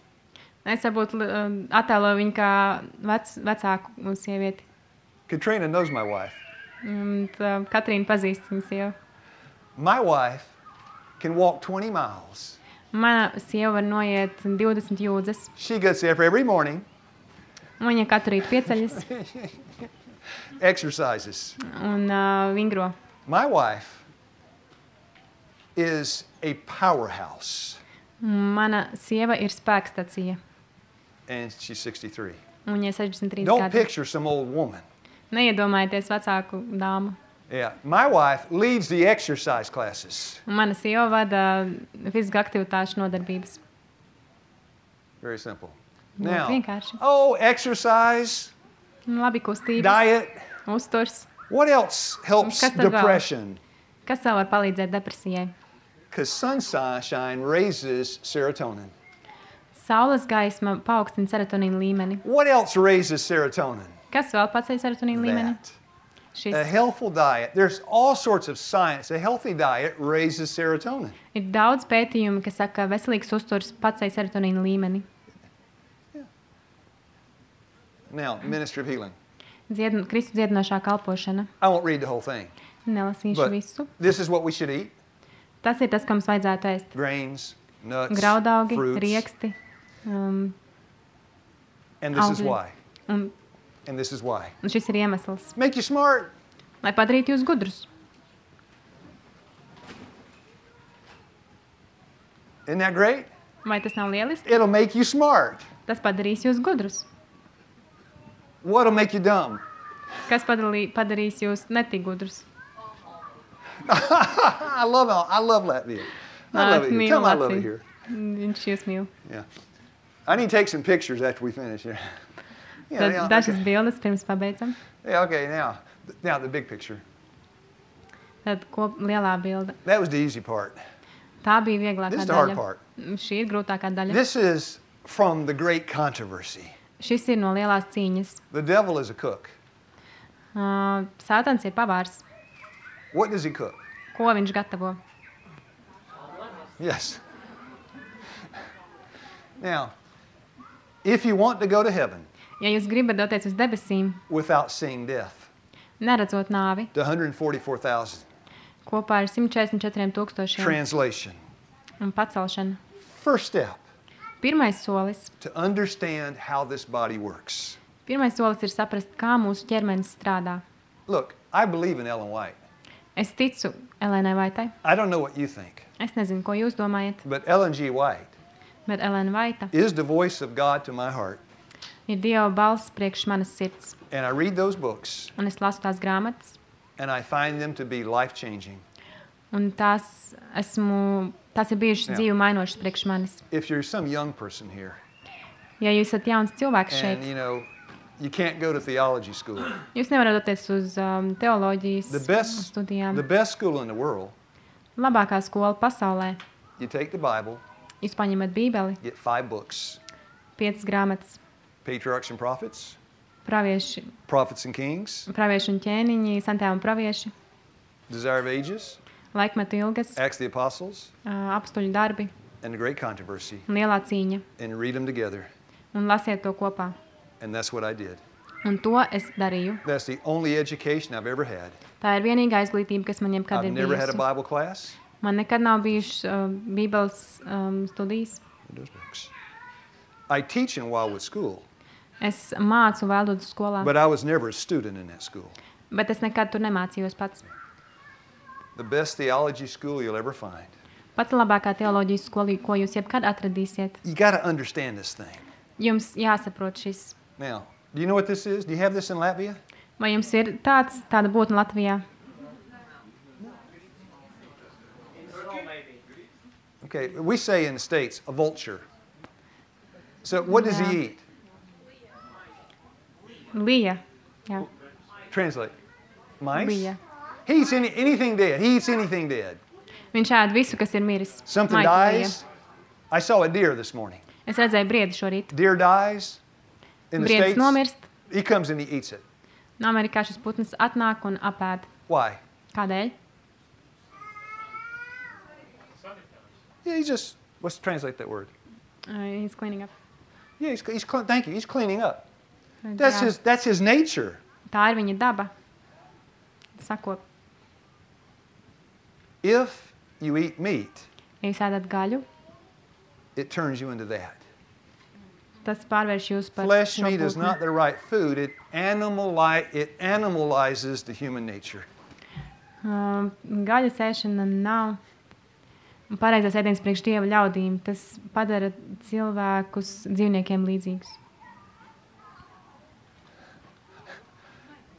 Es varbūt um, attēloju viņu kā vec, vecāku sievieti. Katrina knows my wife. Un tā, Katrīna pazīst viņu sievu. My wife can walk twenty miles. Mana sieva var noiet divdesmit jūdzes. She gets there every morning, Un viņa katru rītu pieceļas exercises. un uh, vingro. My wife is a powerhouse, Mana sieva ir spēkstacija. and she's sixty-three. Un viņai sešdesmit trīs Don't gadi. picture some old woman. Neiedomājieties vecāku dāmu. Yeah, my wife leads the exercise classes. Un mana sieva vada fiziskā aktivitāšu nodarbības. Very simple. Ļoti Now, vienkārši. oh, exercise, Un Labi kustības, diet. uzturs. What else helps Kas tad vēl? depression? Kas vēl var palīdzēt depresijai? Because sunshine raises serotonin. Saules gaisma paaugstina serotonīna līmeni. What else raises serotonin? Kas vēl paceļ serotonīna līmeni? That. Šis A healthful diet. There's all sorts of science. A healthy diet raises serotonin. ir daudz pētījumu, kas saka, ka veselīgs uzturs paceļ serotonīna līmeni. Now, ministry of healing. Dzied, Kristu dziedinošā kalpošana. I won't read the whole thing. Nelasīšu But visu. this is what we should eat. Tas ir tas, ko mums vajadzētu ēst. Grains, nuts, Graudaugi, fruits. rieksti. Um, And this is augļi. why. un, And this is why. un šis ir iemesls, Make you smart. lai padarītu jūs gudrus. Isn't that great? Vai tas nav lieliski? It'll make you smart. Tas padarīs jūs gudrus. What'll make you dumb? Kas padalī, padarīs jūs netik gudrus? I love I love Latvia. I love it here. Mīlu Tell 'em I love it Latviju. here. Viņš jūs mīl. Yeah. I need to take some pictures after we finish here. Yeah, Tad yeah, dažas okay. bildes pirms pabeidzam. Yeah, okay, now, now the big picture. Tad kop, lielā bilde. That was the easy part. Tā bija vieglākā This is the hard daļa. part. Šī ir grūtākā daļa. This is from the great controversy. Šis ir no lielās cīņas. The devil is a cook. Uh, Sātans ir pavārs. What does he cook? Ko viņš gatavo? Yes. Now, if you want to go to heaven Ja jūs gribat doties uz debesīm, without seeing death, neredzot nāvi, the one hundred forty-four thousand, kopā ar simt četrdesmit četriem tūkstošiem translation. un pacelšanu. First step, Pirmais solis. to understand how this body works. Pirmais solis ir saprast, kā mūsu ķermenis strādā. Look, I believe in Ellen White. Es ticu Elēnai Vaitai. I don't know what you think, Es nezinu, ko jūs domājat, but Ellen G. White bet Elēna Vaita is the voice of God to my heart. ir Dieva balss priekš manas sirds. And I read those books, Un es lasu tās grāmatas, and I find them to be life-changing. un tās, esmu, tās ir bijušas Jā. dzīvi mainošas priekš manis. If you're some young person here, Ja jūs esat jauns cilvēks and, šeit, you know, you can't go to theology school, jūs nevarat doties uz um, teoloģijas the best, studijām. the best school in the world, Labākā skola pasaulē. you take the Bible, Jūs paņemat bībeli, get five books, piecas grāmatas, Patriarchs and Prophets, pravieši, Prophets and Kings, pravieši un ķēniņi, santē un pravieši, Desire of Ages, laikmetu ilgas, Acts of the Apostles, ā, apstuļu darbi and the Great Controversy, un lielā cīņa. and read them together. Un lasiet to kopā. And that's what I did. Un to es darīju. That's the only education I've ever had. Tā ir vienīgā izglītība, kas man jebkad I've ir never had a bijusi. Bible class. Man nekad nav bijušas uh, bībeles um, studijas. Those books. I teach in Wildwood School, Es mācu Vēldodu skolā, but I was never a student in that school. bet es nekad tur nemācījos pats. The best theology school you'll ever find. Pati labākā teoloģijas skola, ko jūs jebkad atradīsiet. You got to understand this thing. Jums jāsaprot šis. Now, do you know what this is? Do you have this in Latvia? Vai jums ir tāds, tāda būtne Latvijā? Okay, we say in the States, a vulture. So what does Yeah. he eat? Lija. Jā, Translate. Mice? lija. He eats any, anything dead. He eats anything dead. Viņš ēd visu, kas ir miris. Something Maitu lija. dies. I saw a deer this morning. Es redzēju briedi šorīt. Deer dies in the Briedis States. nomirst. He comes and he eats it. No Amerikā šis putns atnāk un apēd. Why? Kādēļ? Yeah, he's just, let's translate that word. Uh, he's cleaning up. Yeah, he's, he's cle- thank you, he's cleaning up. Tad, That's jā, his, that's his nature. tā ir viņa daba. Sakop, If you eat meat, ja jūs ēdat gaļu, it turns you into that. tas pārvērš jūs par Flesh šo meat is putnu. not the right food. It, animali- it animalizes the human nature. Uh, gaļas ēšana nav pareizais ēdiens priekš Dieva ļaudīm. Tas padara cilvēkus dzīvniekiem līdzīgus.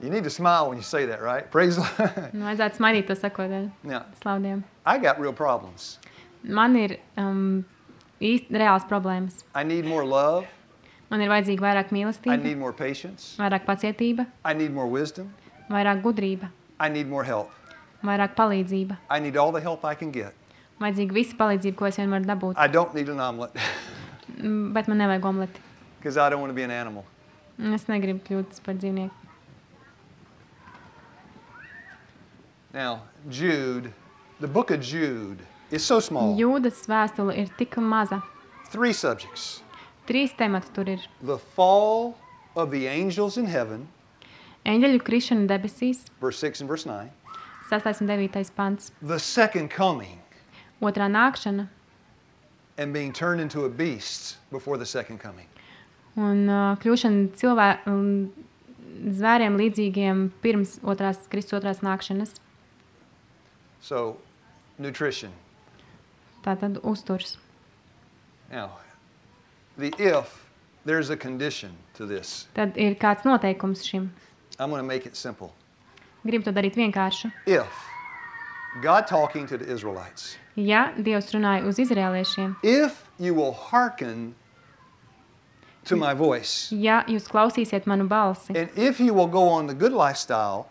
You need to smile when you say that, right? Praise the Lord. Nu, vajadzētu smaidīt to sakot dēļ Now, slaudiem. I got real problems. Man ir um, īsti reāls problēmas. I need more love. Man ir vajadzīga vairāk I mīlestība, need more patience. vairāk pacietība, I need more wisdom. vairāk gudrība, I need more help. vairāk palīdzība. I need all the help I can get. Vajadzīga visa palīdzība, ko es vien varu dabūt. I don't need an omelet Mm, Bet man nevajag omleti. because I don't want to be an animal. Es negribu kļūt par dzīvnieku. Now, Jude, the book of Jude is so small. Jūdas vēstule ir tik maza. Three subjects. Trīs temati tur ir. The fall of the angels in heaven, Eņģeļu krišana debesīs, verse six and verse nine. sastais un devītais pants. The second coming Otrā nākšana and being turned into a beast before the second coming. un uh, kļūšana cilvē, um, zvēriem līdzīgiem pirms otrās, Kristus otrās nākšanas. So, nutrition. Tātad uzturs. Now, the if, there's a condition to this. Tad ir kāds noteikums šim. I'm going to make it simple. Gribu to darīt vienkārši. If God talking to the Israelites, Ja Dievs runāja uz izrēliešiem, if you will hearken to my voice, ja jūs klausīsiet manu balsi, and if you will go on the good lifestyle,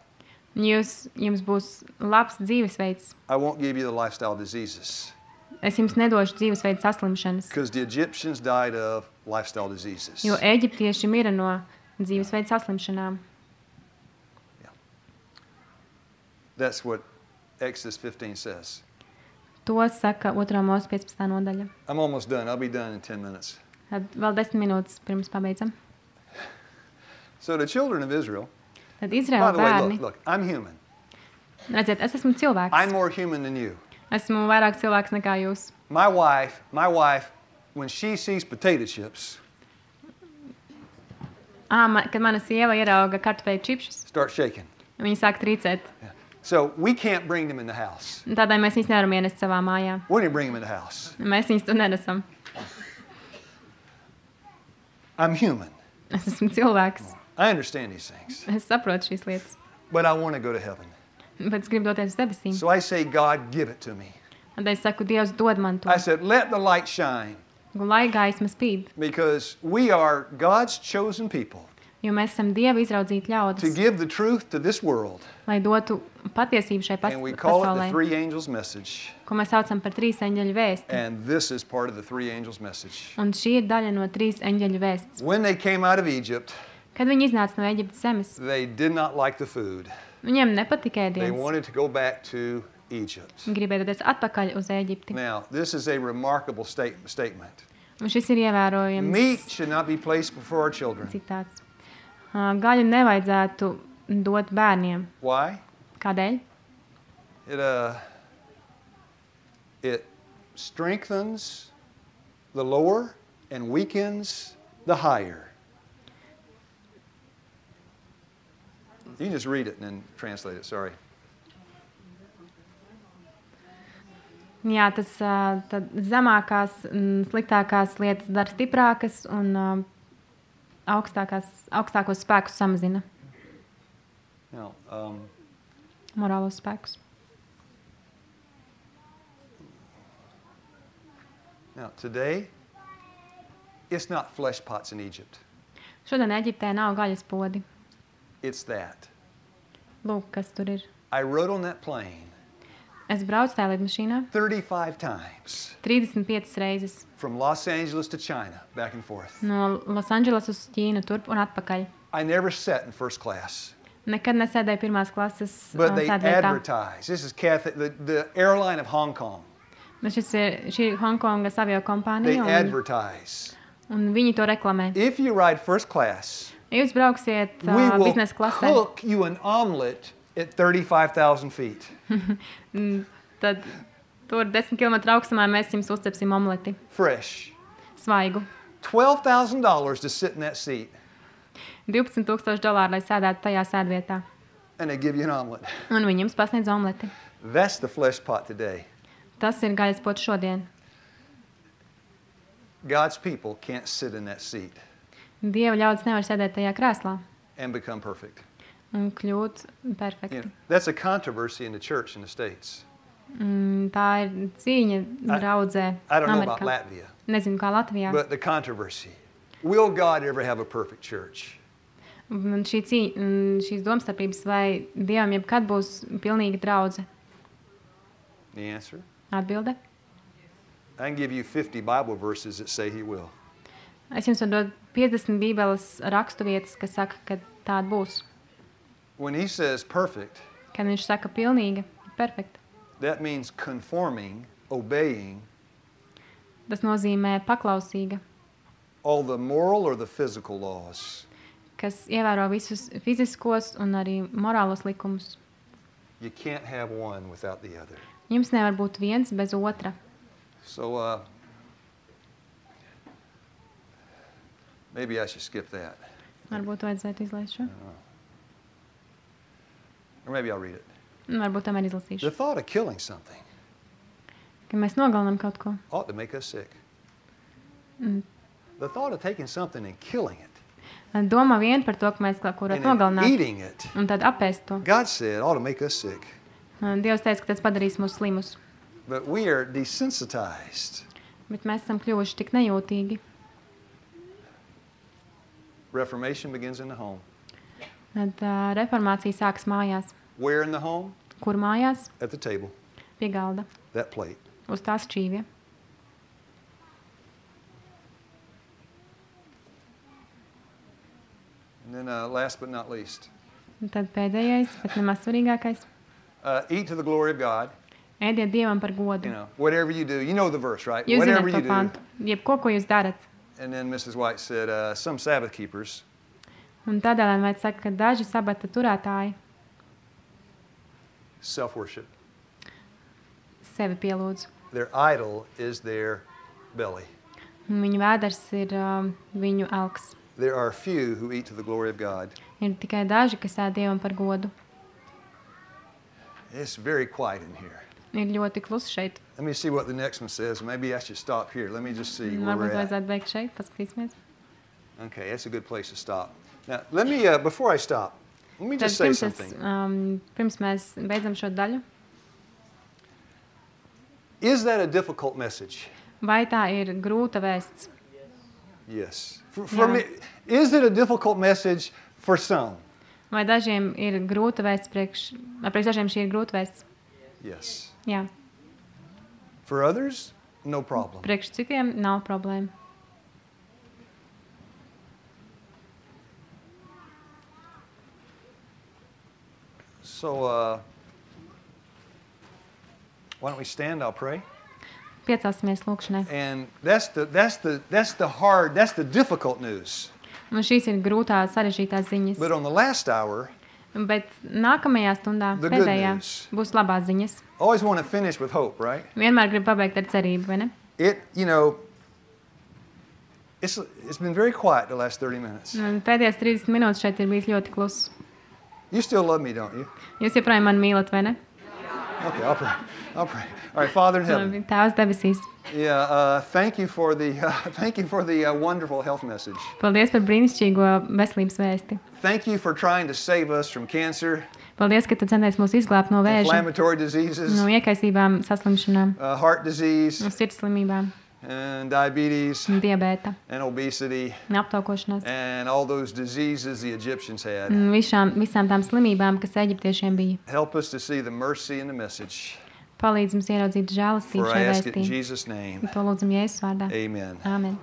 un jūs, jums būs labs dzīvesveids, I won't give you the lifestyle diseases. es jums nedošu dzīvesveidu saslimšanas, Because the Egyptians died of lifestyle diseases. jo eģiptieši mira no dzīvesveidu saslimšanām. That's what Exodus fifteen says. To saka otrā mūsu piecpadsmitā nodaļa. I'm almost done. I'll be done in ten minutes. Tad vēl desmit minūtes pirms pabeidzam. So the children of Israel, Tad by Izraēla the way, bērni, look, look, I'm human. redziet, es esmu cilvēks. I'm more human than you. Esmu vairāk cilvēks nekā jūs. My wife, my wife, when she sees potato chips, Ā, man, kad mana sieva ierauga kartupeļu čipšus, start shaking. viņa sāk trīcēt. So we can't bring them in the house. Un Tādēļ mēs viņus nevaram ienest savā mājā. We didn't bring them in the house. Mēs viņus tur nenesam. I'm human. Es esmu cilvēks. I understand these things. Es saprotu šīs lietas. But I want to go to heaven. Bet es gribu doties uz debesīm. So I say, God, give it to me. Un tad es saku, Dievs, dod man to. I said, let the light shine. Un lai gaisma spīd. Because we are God's chosen people Jo mēs esam Dieva izraudzīti to ļaudis. give the truth to this world. Lai dotu patiesību šai pas And we call it the pasaulē. three angels message. Ko mēs saucam par trīs eņģeļu vēsti. And this is part of the three angels message. Un šī ir daļa no trīs eņģeļu vēsts. When they came out of Egypt, Kad viņi iznāca no Eģiptes zemes, they did not like the food. viņiem nepatika They ēdiens. wanted to go back to Egypt. Viņi gribēja doties atpakaļ uz Eģipti. Now, this is a remarkable state, statement. Un šis ir ievērojams Meat should not be placed before our children. citāts. Ā, Gaļu nevajadzētu dot bērniem. Why? Kādēļ? It, uh, it strengthens the lower and weakens the higher. You can just read it and then translate it, sorry. Jā, tas ā, tad zemākās, un sliktākās lietas dara stiprākas un ā, augstākās, augstākos spēkus samazina. Now, um, Morālos spēkus. now, today, it's not flesh pots in Egypt. Šodien Eģiptē nav gaļas podi. It's that. Lūk, kas tur ir. I rode on that plane Es braucu tajā lidmašīnā thirty-five times trīsdesmit piecas reizes from Los Angeles to China, back and forth. no Losandželas uz Ķīnu, turp un atpakaļ. I never sat in first class. Nekad nesēdēju pirmās klases But ā, they sēdvietā. advertise. This is Cathay, the, the airline of Hong Kong. Un šis ir, šī ir Hongkongas avio They kompānija, un, advertise. un viņi to reklamē. If you ride first class, Ja jūs brauksiet we uh, will biznesa klasē, cook you an omelet at thirty-five thousand feet. tad tur desmit kilometru augstumā mēs jums uzcepsim omleti, Fresh. svaigu. twelve thousand dollars to sit in that seat, divpadsmit tūkstoši dolāru, lai sēdētu tajā sēdvietā. and they give you an omelet. Un viņi jums pasniedz omleti. That's the flesh pot today. Tas ir gaļas pots šodien. God's people can't sit in that seat Dieva ļaudis nevar sēdēt tajā krēslā and become perfect. un kļūt You perfekti. know, that's a controversy in the church in the States. Mm, tā ir cīņa draudzē I don't know about Amerikā. Latvia, Nezinu, kā Latvijā. but the controversy. Will God ever have a perfect church? Un šī cīņa, mm, šīs domstarpības, vai Dievam jebkad būs pilnīga draudze? The answer? Atbilde. I can give you fifty Bible verses that say he will. Es jums varu dot piecdesmit bībeles rakstu vietas, kas saka, ka tāda būs. When he says perfect, Kad viņš saka pilnīga, perfekta, that means conforming, obeying tas nozīmē paklausīga, all the moral or the physical laws. kas ievēro visus fiziskos un arī morālos likumus. You can't have one without the other. Jums nevar būt viens bez otra. So uh, maybe I should skip that. Varbūt vajadzētu izlaist šo. Or maybe I'll read it. Un Varbūt tomēr The izlasīšu. thought of killing something Ka mēs nogalinām kaut ko. ought to make us sick. Mm. The thought of taking something and killing it Domā vien par to, ka mēs kaut ko varētu and then nogalināt eating it, un tad apēst to. God said ought to make us sick. Un Dievs teica, ka tas padarīs mūs slimus. But we are desensitized. Bet mēs esam kļuvuši tik nejūtīgi. Reformation begins in the home. Tad uh, reformācija sākas mājās. Where in the home? Kur mājās? At the table, Pie galda. that plate. Uz tās šķīvja. And then uh, last but not least, Un tad pēdējais, bet nemaz svarīgākais. uh, eat to the glory of God. Ēdiet Dievam par godu. You know, whatever you do, you know the verse, right? Jūs Whatever zināt you to do. pantu. Jebko, ko jūs darat. And then Missus White said, uh, some Sabbath keepers Un tādēļ vajag saka, ka daži sabata turētāji self-worship. sevi pielūdz. Their idol is their belly. Un viņu vēders ir um, viņu elks. There are few who eat to the glory of God. Ir tikai daži, kas ēd Dievam par godu. It's very quiet in here. Ir ļoti klusi šeit. Let me see what the next one says. Maybe I should stop here. Let me just see where Varbūt we're at. vajadzētu beigt šeit, paskatīsimies. Okay, that's a good place to stop. Now, let me, uh, before I stop, let me Tad just say pirms, es, something. um, pirms mēs beidzam šo daļu, Is that a difficult message? vai tā ir grūta vēsts? Yes. For, for Yeah. me, is it a difficult message for some? Vai dažiem ir grūta vēsts priekš, vai priekš dažiem šī ir grūta vēsts? Yes. Jā. For others, no problem. Priekš citiem nav problēma. So, uh, why don't we stand? I'll pray. Piecelsimies lūkšanai. And that's the that's the that's the hard that's the difficult news. Un šīs ir grūtā, sarežģītās ziņas. But on the last hour, Bet nākamajā stundā, The good pēdējā, news. būs labās ziņas. always want to finish with hope, right? Vienmēr grib pabeigt ar cerību, vai ne? It, you know, it's it's been very quiet the last thirty minutes. Un pēdējās trīsdesmit minūtes šeit ir bijis ļoti kluss. You still love me, don't you? Jūs joprojām mani mīlat, vai ne? Okay, I'll pray. I'll pray. All right, Father in heaven. Labi, Tēvs debesīs. Yeah, uh, thank you for the uh, thank you for the uh, wonderful health message. Paldies par brīnišķīgo veselības vēsti. Thank you for trying to save us from cancer, Paldies, ka tu centies mūs izglābt no vēža, inflammatory diseases, no iekaisībām, saslimšanām, uh, heart disease, no sirds slimībām, and diabetes, diabēta, and obesity, aptaukošanās. and all those diseases the Egyptians had. Un Visām, visām tām slimībām, kas eģiptiešiem bija. Help us to see the mercy in the message. Palīdz mums ieraudzīt žēlastību For I šajā ask it in vēstī. Jesus' name. To lūdzam Jēzus vārdā. Amen. Āmen.